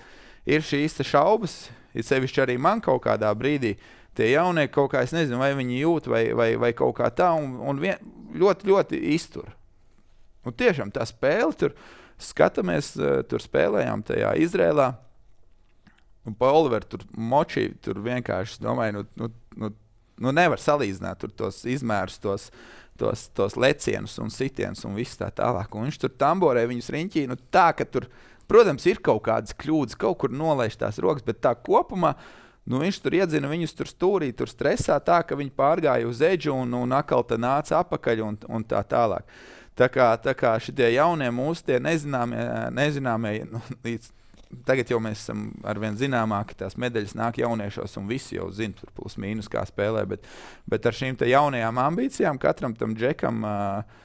ir šīs šaubas, ir sevišķi arī man kaut kādā brīdī, tie jaunie kaut kā, es nezinu, vai viņi jūt, vai, vai, vai kaut kā tā, un, un vien, ļoti, ļoti iztur. Un tiešām tā spēle tur, skatāmies, tur spēlējām tajā Izrēlā, un pa Oliveru tur močī, tur vienkārši, domāju, nu, nu, nu, nu nevar salīdzināt tur tos izmērus, tos, tos, tos lecienus un sitienus un viss tā tālāk. Un viņš tur tamborē viņus riņķī, nu tā, ka tur, protams, ir kaut kādas kļūdas, kaut kur nolaiž tās rokas, bet tā kopumā, nu viņš tur iedzina viņus tur stūrī, tur stresā tā, ka viņi pārgāja uz Edžu un, un atkal tā nāca apakaļ un, un tā tālāk. Tā kā, tā kā šitie jaunie mūsu tie nezināmie, nezināmie nu, līdz, tagad jau mēs esam arvien zināmāki, tās medaļas nāk jauniešos un visi jau zina, tur plus mīnus kā spēlē, bet, bet ar šīm te jaunajām ambīcijām katram tam džekam uh,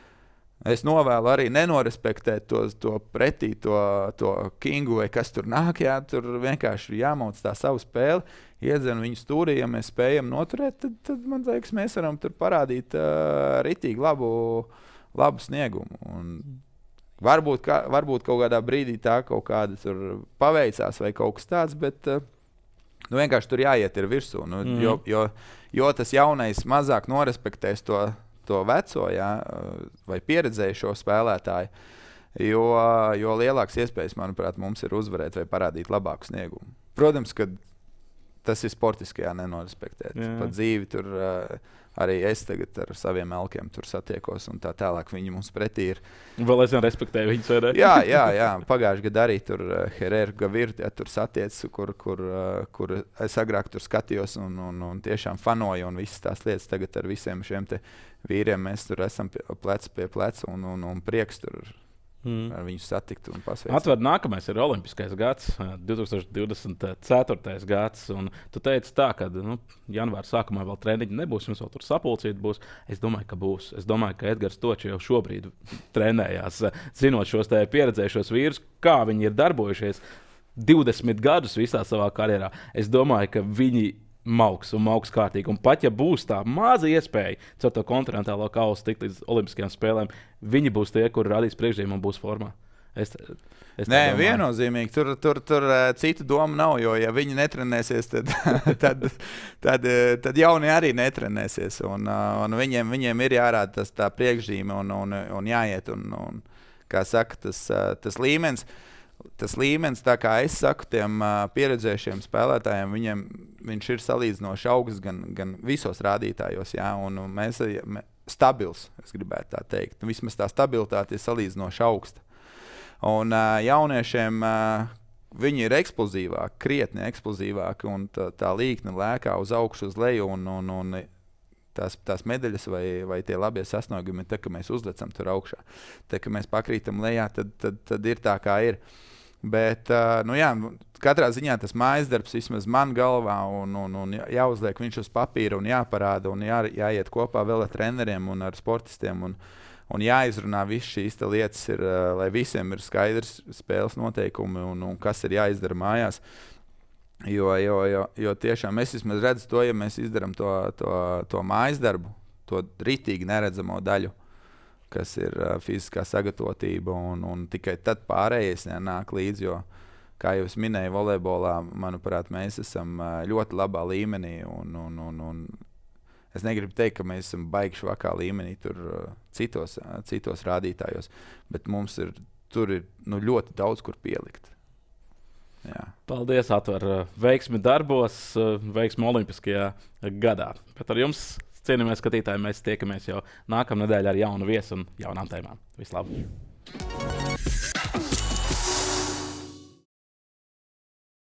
es novēlu arī nenorespektēt to, to pretī, to, to kingu vai kas tur nāk, jā, tur vienkārši jāmauc tā savu spēli, iedzen viņu stūrī, ja mēs spējam noturēt, tad, tad man liekas, mēs varam tur parādīt uh, ritīgi labu labu sniegumu. Un varbūt, kā, varbūt kaut kādā brīdī tā kaut kāda tur paveicās vai kaut kas tāds, bet nu, vienkārši tur jāiet ir virsū. Nu, mm. jo, jo, jo tas jaunais mazāk norespektēs to, to veco, jā, vai pieredzējušo spēlētāju, jo, jo lielāks iespējas, manuprāt, mums ir uzvarēt vai parādīt labāku sniegumu. Protams, ka tas ir sportiskajā nenorespektēt. Yeah. Pa dzīvi tur uh, arī es tagad ar saviem elkiem tur satiekos un tā tālāk viņi mums pretī ir. Vēl es nerespektēju viņus, vai ne? jā, jā, jā. Pagājuši gadu arī tur uh, Herēru Gavirti, ja, tur satiec, kur, kur, uh, kur es agrāk tur skatījos un, un, un tiešām fanoju un visas tās lietas tagad ar visiem šiem te vīriem mēs tur esam pie, plec pie pleca un, un, un prieks tur mm. ar viņu satikt un pasveicināt. Atver, nākamais ir olimpiskais gads, divtūkstoš divdesmit ceturtais gads, un tu teici tā, ka nu, janvāra sākumā vēl treniņi nebūs, jums vēl tur sapulcīt būs. Es domāju, ka būs. Es domāju, ka Edgars Toči jau šobrīd trenējās, zinot šos te pieredzējušos vīrus, kā viņi ir darbojušies divdesmit gadus visā savā karjerā. Es domāju, ka viņi mauks un mauks kārtīgi. Un pat ja būs tā maza iespēja caur to kontinentālo kausu tikt līdz olimpiskajām spēlēm, viņi būs tie, kuri radīs priekšzīmēm un būs formā. Es, es Nē, viennozīmīgi. Tur, tur, tur citu domu nav, jo ja viņi netrenēsies, tad, tad, tad, tad jaunie arī netrenēsies. Un, un viņiem, viņiem ir jārāda tas tā priekšzīme un, un, un jāiet. Un, un, kā saka, tas, tas līmenis. Tas līmenis, tā kā es saku, tiem uh, pieredzējušiem spēlētājiem, viņiem, viņš ir salīdzinoši augsts gan, gan visos rādītājos, jā, un, un mēs esam stabils, es gribētu tā teikt. Nu, vismaz tā stabilitāte ir salīdzinoši augsta. Un uh, jauniešiem uh, viņi ir eksplozīvāki, krietni eksplozīvāki, un tā, tā līkne lēkā uz augšu, uz leju, un, un, un tās, tās medaļas vai, vai tie labie sasniegumi, tā, ka mēs uzlecam tur augšā. Tā, ka mēs pakrītam lejā, tad, tad, tad ir tā, kā ir. Bet, uh, nu jā, katrā ziņā tas mājas darbs vismaz man galvā un, un, un jāuzliek viņš uz papīra un jāparāda un jā, jāiet kopā vēl ar treneriem un ar sportistiem un, un jāizrunā viss šīs lietas, ir, uh, lai visiem ir skaidrs spēles noteikumi un, un kas ir jāizdara mājās. Jo, jo, jo, jo tiešām es vismaz redzu to, ja mēs izdarām to, to, to mājas darbu, to ritīgi neredzamo daļu, kas ir uh, fiziskā sagatavotība, un, un tikai tad pārējais nāk līdzi. Jo, kā jau es minēju, volejbolā, manuprāt, mēs esam uh, ļoti labā līmenī. Un, un, un, un es negribu teikt, ka mēs esam baigi švakā līmenī tur, uh, citos, uh, citos rādītājos, bet mums ir, tur ir nu, ļoti daudz, kur pielikt. Jā. Paldies, Atver. Veiksmi darbos, veiksmi Olimpiskajā gadā. Bet ar jums, cienījamies skatītāji, mēs tiekamies jau nākamā nedēļa ar jaunu viesu un jaunām tēmām. Vislabāk!